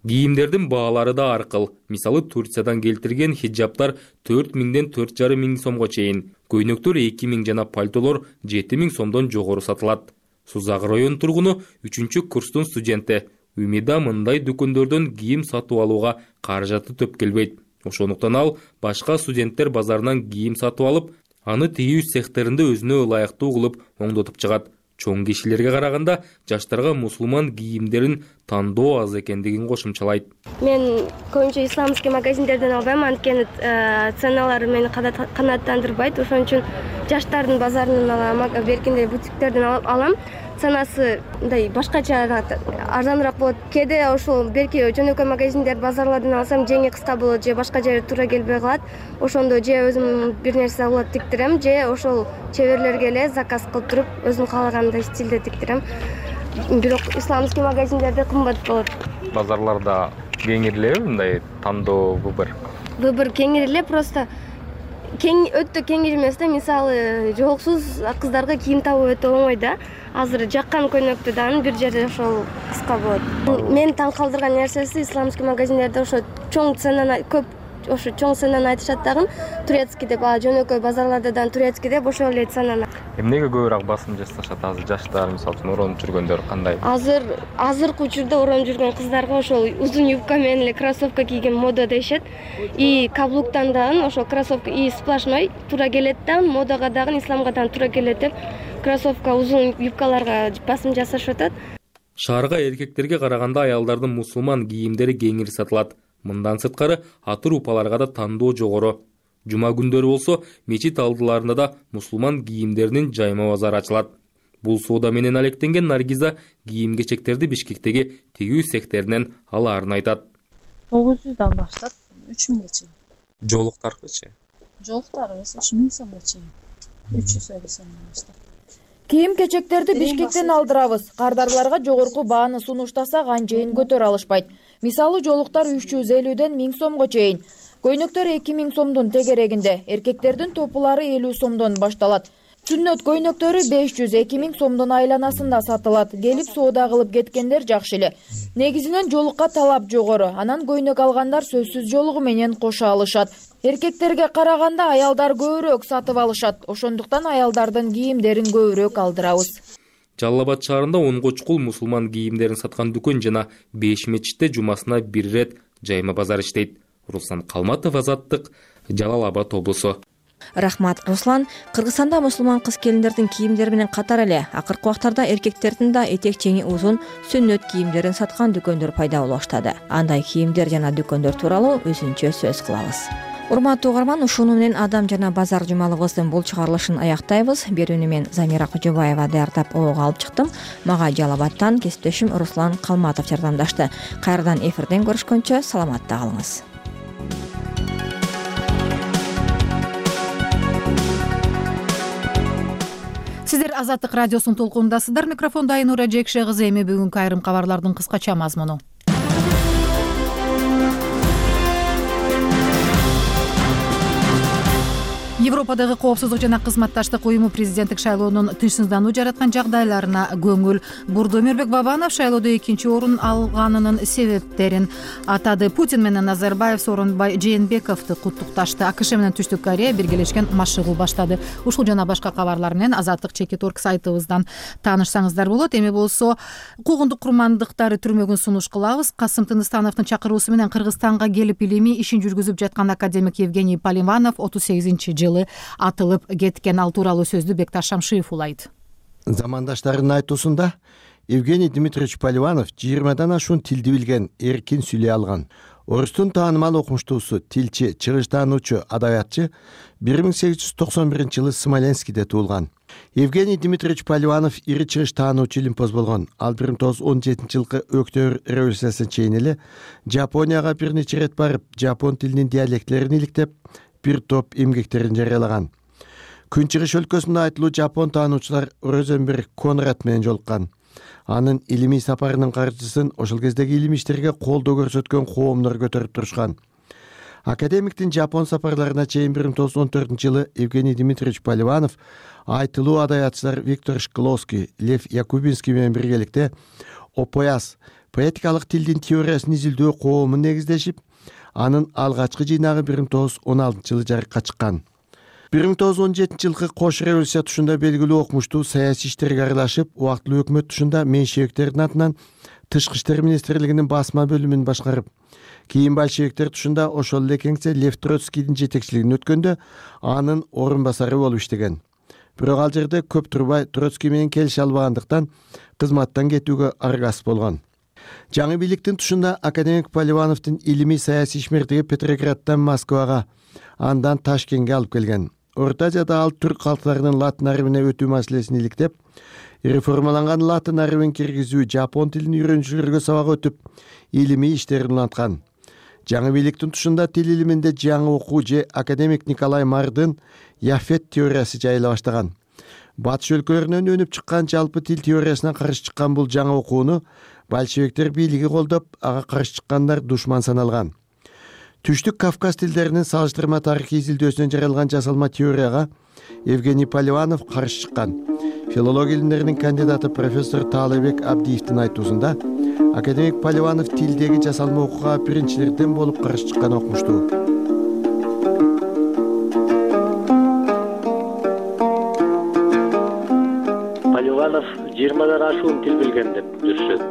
Кийимдердин баалары да ар кыл. Мисалы Турциядан келтирген хиджаптар 4000ден 4500 сомго чейин, көйнөктөр 2000 жана пальтолор 7000 сомдон жогору сатылат. Сузак район тургуну 3-курстун студенти Умида мындай дүкөндөрдөн кийим сатып алууга каражаты төп келбейт. Ошондуктан ал башка студенттер базарынан кийим сатып алып, аны тигүү цехтеринде өзүнө ылайыктуу кылып оңдотуп чыгат. Чоң кишилерге караганда жаштарга мусулман кийимдерин тандоо аз экендигин кошумчалайт. Мен көбүнчө исламский магазиндерден албайм, анткени ценалары мени канааттандырбайт. Ошон үчүн жаштардын базарынан алам, беркинде бутиктерден алам. Ценасы мындай башкача арзаныраак болот. Кээде ошол берки жөнөкөй магазиндер, базарлардан алсам жеңи кыска болот, же башка жерге туура келбей калат. Ошондо же өзүм бир нерсе улап тиктирем, же ошол чеберлерге эле заказ кылып туруп, өзүм каалагандай стилде тиктирем. Бирок исламский магазиндерде кымбат болот. Базарларда кеңирилеби мындай тандоо выбор? Выбор кеңириле, просто өтө кеңири эмес да. Мисалы, жооксуз кыздарга кийим табуу өтө оңой да. Азыр жаккан көйнөктү дагы бир жерде ошол кыска болот. Мени таң калтырган нерсеси исламский магазиндерде ошо чоң ценаны көп, ошо чоң ценаны айтышат дагы, турецкий деп, жөнөкөй базарларда дагы турецкий деп ошол эле ценаны. Эмнеге көбүрөөк басым жасашат азыр жаштар, мисалы үчүн оронуп жүргөндөр кандай? Азыркы учурда оронуп жүргөн кыздарга ошол узун юбка менен эле кроссовка кийген мода дешет. И каблуктан дагы ошол кроссовка и сплошной туура келет дагы, модага дагы, исламга дагы туура келет деп кроссовка, узун юбкаларга басым жасашып атат. Шаарга эркектерге караганда аялдардын мусулман кийимдери кеңири сатылат. Мындан сырткары атыр упаларга да тандоо жогору. Жума күндөрү болсо мечит алдыларында да мусулман кийимдеринин жайма базары ачылат. Бул соода менен алектенген Наргиза кийим-кечектерди Бишкектеги тигүү цехтеринен алаарын айтат. 900дан баштап 3000ге чейин. Жолуктарчы? Жолуктар 1000 сомго чейин. 350 сомдон баштап. Кийим-кечектерди Бишкектен алдырабыз. Кардарларга жогорку бааны сунуштасак анчейин көтөрө алышпайт. Мисалы, жолуктар 350ден 1000 сомго чейин. Көйнөктөр 2000 сомдун тегерегинде, эркектердин топулары 50 сомдон башталат. Сүннөт көйнөктөрү 500-2000 сомдун айланасында сатылат. Келип соода кылып кеткендер жакшы эле. Негизинен жолукка талап жогору, анан көйнөк алгандар сөзсүз жолугу менен кошо алышат. Эркектерге караганда аялдар көбүрөөк сатып алышат. Ошондуктан аялдардын кийимдерин көбүрөөк алдырабыз. Жалал Абад шаарында 10 чукул мусулман кийимдерин саткан дүкөн жана 5 мечитте жумасына бир ирет жайма базар иштейт. Руслан Калматов, Азаттык, Жалал Абад облусу. Рахмат, Руслан. Кыргызстанда мусулман кыз келиндердин кийимдери менен катар эле акыркы убактарда эркектердин да этек чеңи узун сүннөт кийимдерин саткан дүкөндөр пайда боло баштады. Андай кийимдер жана дүкөндөр тууралуу өзүнчө сөз кылабыз. Урматтуу угарман, ушуну менен Адам жана базар жумалыбыздын бул чыгарылышын аяктайбыз. Берүүнү мен Замира Кожобаева даярдап ого алып чыктым. Мага Жалал Абадтан кесиптешим Руслан Калматов жардамдашты. Кайрадан эфирден көрүшкөнчө саламатта калыңыз. Сиздер Азаттык радиосунун толкунундасыздар. Микрофондо Айнура Жекше кызы. Эми бүгүнкү айрым кабарлардын кыскача мазмуну. Европадагы коопсуздук жана кызматташтык уюму президенттик шайлоонун тынчсыздануу жараткан жагдайларына көңүл бурду. Өмүрбек Бабанов шайлоодо экинчи орун алганынын себептерин атады. Путин менен Назарбаев Сооронбай Жээнбековду куттукташты. АКШ менен Түштүк Корея биргелешкен машыгуу баштады. Ушул жана башка кабарлар менен Азаттык.org сайтыбыздан таанышсаңыздар болот. Эми болсо куугундук курмандыктары түрмөгүн сунуш кылабыз. Касым Тыныстановдун чакыруусу менен Кыргызстанга келип илимий ишин жүргүзүп жаткан академик Евгений Поливанов 38-жылы атылып кеткен. Ал тууралуу сөздү Бекташ Шамшиев улайт. Замандаштарынын айтуусунда Евгений Дмитриевич Поливанов 20дан ашуун тилди билген, эркин сүйлөй алган. Орустун таанымал окумуштуусу, тилчи, чыгыштаануучу, адабиятчы 1891-жылы Смоленскиде туулган. Евгений Дмитриевич Поливанов ири чыгыштаануучу илимпоз болгон. Ал 1917-жылкы Өктөбүр революциясына чейин эле Жапонияга бир нече ирет барып, жапон тилинин диалектилерин иликтеп, бир топ эмгектерин жарыялаган. Күнчыгыш өлкөсүндө айтылуу жапон таануучулар Розенберг Конрад менен жолуккан. Анын илимий сапарынын каржысын ошол кездеги илим иштерге колдоо көрсөткөн коомдор көтөрүп турушкан. Академиктин жапон сапарларына чейин 1914-жылы Евгений Дмитриевич Поливанов айтылуу адабиятчылар Виктор Шкловский, Лев Якубинский менен биргеликте Опояс поэтикалык тилдин теориясын изилдөө коомун негиздешип, анын алгачкы жыйнагы 1916-жылы жарыкка чыккан. 1917-жылкы кош революция тушунда белгилүү окумуштуу саясий иштерге аралашып, убактылуу өкмөт тушунда меньшевиктердин атынан Тышкы иштер министрлигинин басма бөлүмүн башкарып, кийин большевиктер тушунда ошол эле кеңсе Лев Троцкийдин жетекчилигин өткөндө анын орун басары болуп иштеген. Бирок ал жерде көп турбай Троцкий менен келише албагандыктан кызматтан кетүүгө аргасыз болгон. Жаңы бийликтин тушунда академик Поливановдун илимий саясий ишмердиги Петрограддан Москвага, андан Ташкентке алып келген. Орто Азияда ал түрк калктарынын латын арабине өтүү маселесин иликтеп, реформаланган латын арабин киргизүү, жапон тилин үйрөнүүчүлөргө сабак өтүп, илимий иштерин уланткан. Жаңы бийликтин тушунда тил илиминде жаңы окуу же академик Николай Мардын Яфет теориясы жайыла баштаган. Батыш өлкөлөрүнөн өнүп чыккан жалпы тил теориясына каршы чыккан бул жаңы окууну большевиктер бийлиги колдоп, ага каршы чыккандар душман саналган. Түштүк Кавказ тилдеринин салыштырма тарыхый изилдөөсүнөн жаралган жасалма теорияга Евгений Поливанов каршы чыккан. Филология илимдеринин кандидаты профессор Таалайбек Абдиевдин айтуусунда академик Поливанов тилдеги жасалма окууга биринчилерден болуп каршы чыккан окумуштуу. Поливанов 20дан ашуун тил билген деп жүрүшөт.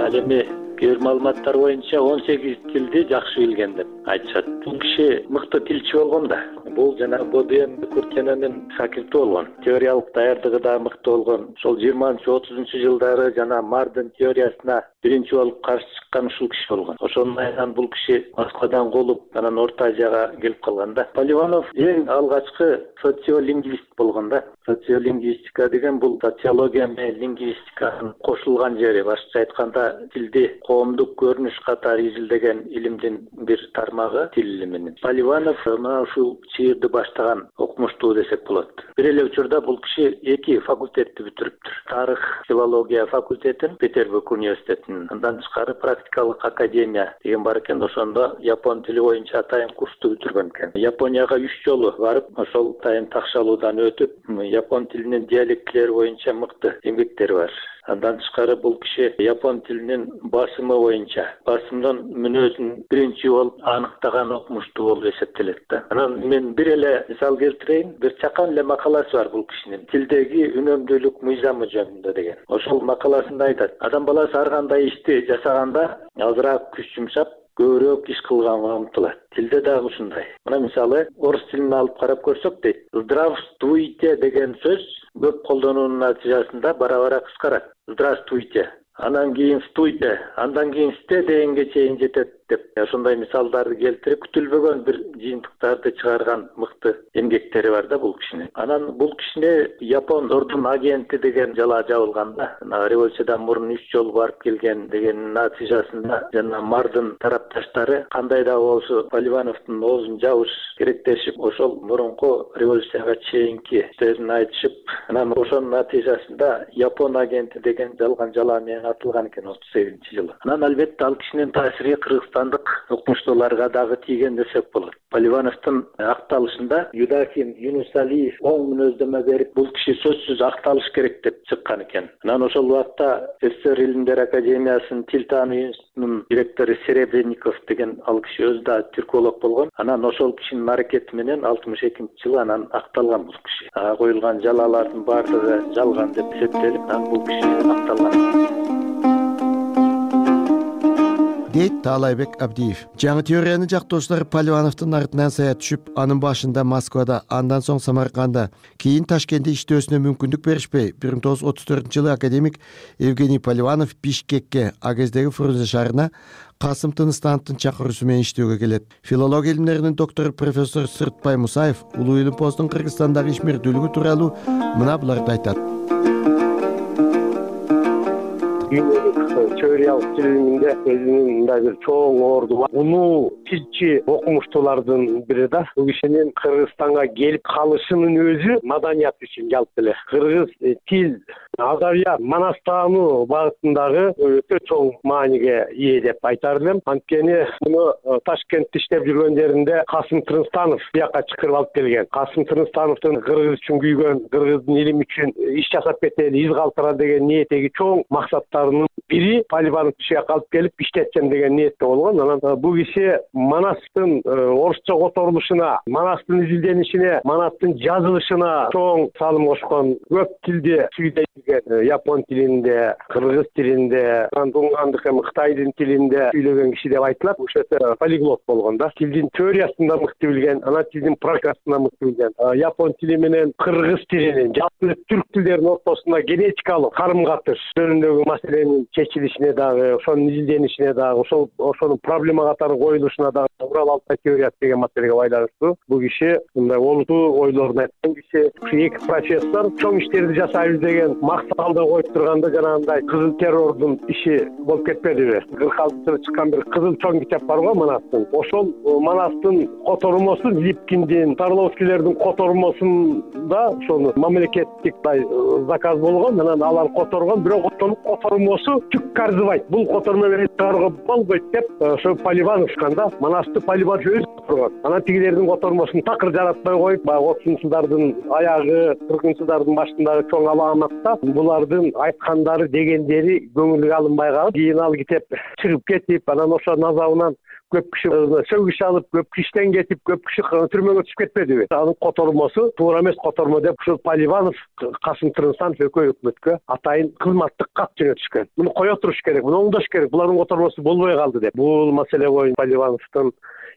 Ал эми кээ бир маалыматтар боюнча 18 тилди жакшы билген деп айтышат. Бул киши мыкты тилчи болгон да. Бул жана Боден Куртененин шакирти болгон. Теориялык даярдыгы да мыкты болгон. Ошол 20-30 жылдары жана Мардын теориясына биринчи болуп каршы чыккан ушул киши болгон. Ошонун айынан бул киши Москвадан колуп, анан Орто Азияга келип калган да. Поливанов эң алгачкы социолингвист болгон да. Социолингвистика деген бул социология менен лингвистиканын кошулган жери. Башкача айтканда тилди коомдук көрүнүш катары изилдеген илимдин бир тармагы тил илиминин. Поливанов мына ушул чыйырды баштаган окумуштуу десек болот. Бир эле учурда бул киши 2 факультетти бүтүрүптүр. Тарых, филология факультетин Петербург университетинин. Андан тышкары практикалык академия деген бар экен. Ошондо япон тили боюнча атайын курсту бүтүргөн экен. Японияга 3 жолу барып, ошол атайын такшалуудан өтүп, япон тилинин диалектилери боюнча мыкты эмгектери бар. Андан тышкары бул киши япон тилинин басымы боюнча басымдын мүнөзүн биринчи болуп аныктаган окумуштуу болуп эсептелет да. Анан мен бир эле мисал келтирейин. Бир чакан эле макаласы бар бул кишинин тилдеги үнөмдүүлүк мыйзамы жөнүндө деген. Ошол макаласында айтат: адам баласы ар кандай ишти жасаганда азыраак күч жумшап, көбүрөөк иш кылганга умтулат. Тилде дагы ушундай. Мына мисалы орус тилин алып карап көрсөк дейт. Здравствуйте деген сөз көп колдонуунун натыйжасында бара-бара кыскарат. Здравствуйте. Андан кийин стуйте, андан кийин сте дегенге чейин жетет. деп ошондой мисалдарды келтирип күтүлбөгөн бир жыйынтыктарды чыгарган мыкты эмгектери бар да бул кишинин. Анан бул кишине Япон ордун агенти деген жалаа жабылганда, революциядан мурун 3 жолу барып келген деген натыйжасында жана мардын тарапташтары кандай да болсо Поливановдун оозун жабыш керектешип, ошол мурунку революцияга чейинки иштерин айтышып, анан ошонун натыйжасында Япон агенти деген жалган жалаа менен атылган экен 38-жылы. Анан албетте ал кишинин таасири кыргызстандык окумуштууларга дагы тийген десек болот. Поливановдун акталышында Юдахин Юнусалиев оң мүнөздөмө берип, бул киши сөзсүз акталыш керек деп чыккан экен. Анан ошол убакта СССР Илимдер академиясынын тил таануу институтунун директору Серебренников деген ал киши өзү да түрколог болгон. Анан ошол кишинин аракети менен 62-жылы анан акталган бул киши. Коюлган жалаалардын баардыгы жалган деп эсептелип, анан бул киши акталган дейт Таалайбек Абдиев. Жаңы теорияны жактоочулар Поливановдун артынан сая түшүп, анын башында Москвада, андан соң Самарканда, кийин Ташкентте иштөөсүнө мүмкүндүк беришпей, 1934-жылы академик Евгений Поливанов Бишкекке, агездеги Фрунзе шаарына Касым Тыныстановдун чакыруусу менен иштөөгө келет. Филология илимдеринин доктору профессор Сыртбай Мусаев Улуу Илим посттун Кыргызстандагы ишмердүүлүгү тууралуу мына буларды айтат. Теориялык тил илиминде өзүнүн мындай бир чоң орду бар. Унуу тилчи окумуштуулардын бири да. Бул кишинин Кыргызстанга келип калышынын өзү маданият үчүн жалпы эле. Кыргыз тил, адабият, манас таануу багытындагы өтө чоң мааниге ээ деп айтар элем. Анткени муну Ташкентте иштеп жүргөндөрүндө Касым Тыныстанов бияка чакырып алып келген. Касым Тыныстановдун кыргыз үчүн күйгөн, кыргыздын илими үчүн иш жасап кетели, из калтыра деген ниетеги чоң максаттарынын бири Поливанов кишиге алып келип иштетсем деген ниетте болгон. Анан бул киши Манастын орусча которулушуна, Манастын изилденишине, Манастын жазылышына чоң салым кошкон. Көп тилди сүйдөй билген, япон тилинде, кыргыз тилинде, тунгандык эми Кытайдын тилинде сүйлөгөн киши деп айтылат. Ошо полиглот болгон да. Тилдин теориясын да мыкты билген, анан тилдин практикасын да мыкты билген. Япон тили менен кыргыз тилинин, жалпы түрк тилдеринин ортосунда генетикалык карым-катыш жөнүндөгү маселенин чечилишине дагы, ошонун изилденишине дагы, ошонун проблема катары коюлушуна дагы Урал Алтай теориясы деген маселеге байланыштуу бул киши мындай олутуу ойлорун айткан киши. Ушу эки профессор чоң иштерди жасайбыз деген максат алдыга коюп турганда жанагындай кызыл террордун иши болуп кетпедиби? 46-жылы чыккан бир кызыл чоң китеп бар го Манастын. Ошол Манастын котормосу Липкиндин, Тарловскийлердин котормосунда ошону мамлекеттик заказ болгон. Анан алар которгон, бирок ошонун котормосу түк карзыбайт. Бул котормо менен чыгарууга болбойт деп ошо Поливанов чыкканда Манасты Поливанов өзү турган. Анан тигилердин котормосун такыр жаратпай коюп, баягы 30-жылдардын аягы, 40-жылдардын башындагы чоң аламатта булардын айткандары, дегендери көңүлгө алынбай калып, кийин ал китеп чыгып кетип, анан ошо назабынан көп киши сөгүш алып, көп киши иштен кетип, көп киши түрмөгө түшүп кетпедиби? Анын котормосу туура эмес котормо деп ушул Поливанов, Касым Тыныстанов экөө өкмөткө атайын кызматтык кат жөнөтүшкөн. Муну кое туруш керек, муну оңдош керек, булардын котормосу болбой калды деп. Бул маселе боюнча Поливановдун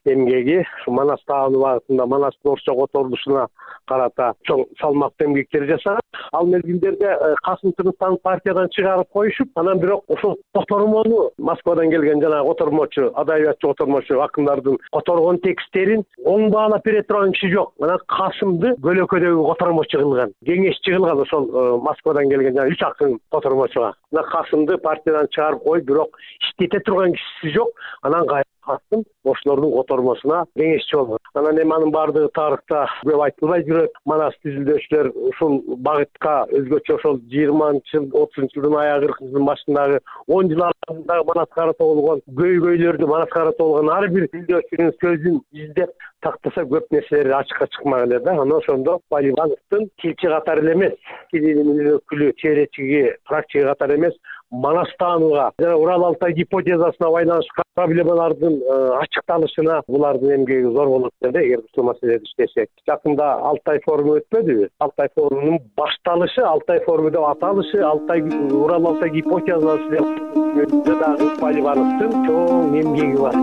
эмгеги Манас таануу багытында, Манастын орусча которулушуна карата чоң салмактуу эмгектер жасаган. Ал мезгилдерде Касым Тыныстановду партиядан чыгарып коюшуп, анан бирок ошол котормону Москвадан келген жана котормочу, адабиятчы котормочу акындардын которгон тексттерин оң баалап бере турган киши жок. Анан Касымды бөлөкөдөгү котормочу кылган, кеңешчи кылган ошол Москвадан келген жана 3 акын котормочуга. Анан Касымды партиядан чыгарып коюп, бирок иштете турган кишиси жок. Анан Касым ошолордун котормосуна кеңешчи болгон. Анан эми анын баардыгы тарыхта көп айтылбай жүрөт. Манас изилдөөчүлөр ушул багытка өзгөчө ошол 20-жыл, 30-жылдын аягы, 40-жылдын башындагы 10 жыл аралыгында Манаска карата болгон көйгөйлөрдү, Манаска карата болгон ар бир изилдөөчүнүн сөзүн издеп тактаса көп нерселер ачыкка чыкмак эле да. Анан ошондо Поливановдун тилчи катары эле эмес, тил илиминин өкүлү, теоретиги, практики катары эмес, Манас таанууга жана Урал Алтай гипотезасына байланышкан проблемалардын ачыкталышына булардын эмгеги зор болот да, эгер ушул маселеде иштесек. Жакында Алтай форуму өтпөдүбү? Алтай форумунун башталышы, Алтай форуму деп аталышы, Урал Алтай гипотезасы деп дагы Поливановдун чоң эмгеги бар.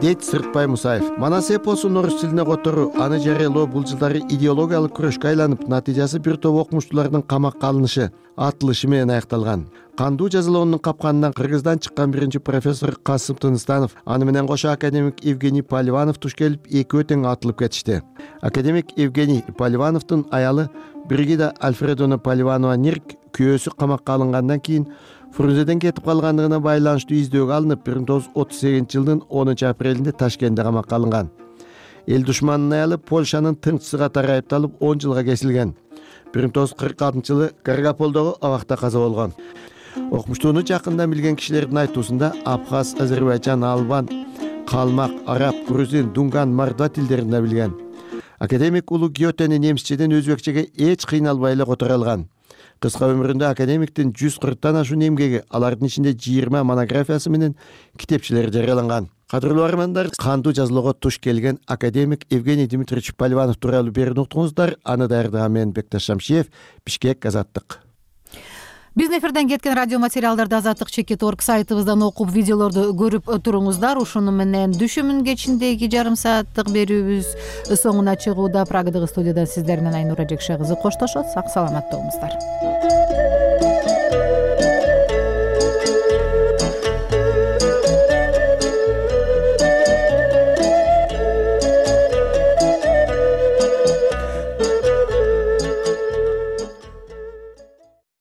дейт Сыртбай Мусаев. Манас эпосун орус тилине которуу, аны жарыялоо бул жылдары идеологиялык күрөшкө айланып, натыйжасы бир топ окумуштуулардын камакка алынышы, атылышы менен аякталган. Кандуу жазалоонун капканынан Кыргыздан чыккан биринчи профессор Касым Тыныстанов, аны менен кошо академик Евгений Поливанов туш келип, экөө тең атылып кетишти. Академик Евгений Поливановдун аялы Бригида Альфредовна Поливанова-Нирк күйөөсү камакка алынгандан кийин Фрунзеден кетип калгандыгына байланыштуу издөөгө алынып, 1938-жылдын 10 апрелинде Ташкентте камакка алынган. Эл душманынын аялы Польшанын тыңчысы катары айыпталып 10 жылга кесилген. 1946-жылы Каргаполдогу абакта каза болгон. Окумуштууну жакындан билген кишилердин айтуусунда абхаз, азербайджан, албан, калмак, араб, грузин, дунган, мордва тилдерин да билген. Академик улуу Гётени немисчеден өзбекчеге эч кыйналбай эле которо алган. Кыска өмүрүндө академиктин 140тан ашуун эмгеги, алардын ичинде 20 монографиясы менен китепчелери жарыяланган. Кадырлуу армандар, кандуу жазалоого туш келген академик Евгений Дмитриевич Поливанов тууралуу берүүнү уктуңуздар. Аны даярдаган мен Бекташ Шамшиев, Бишкек, Азаттык. Биздин эфирден кеткен радио материалдарды azatlyk.org сайтыбыздан окуп, видеолорду көрүп туруңуздар. Ушуну менен дүшүмүн кечиндеги жарым сааттык берүүбүз соңуна чыгууда. Прагадагы студиядан сиздер менен Айнура Жекше кызы коштошот. Сак саламат болуңуздар.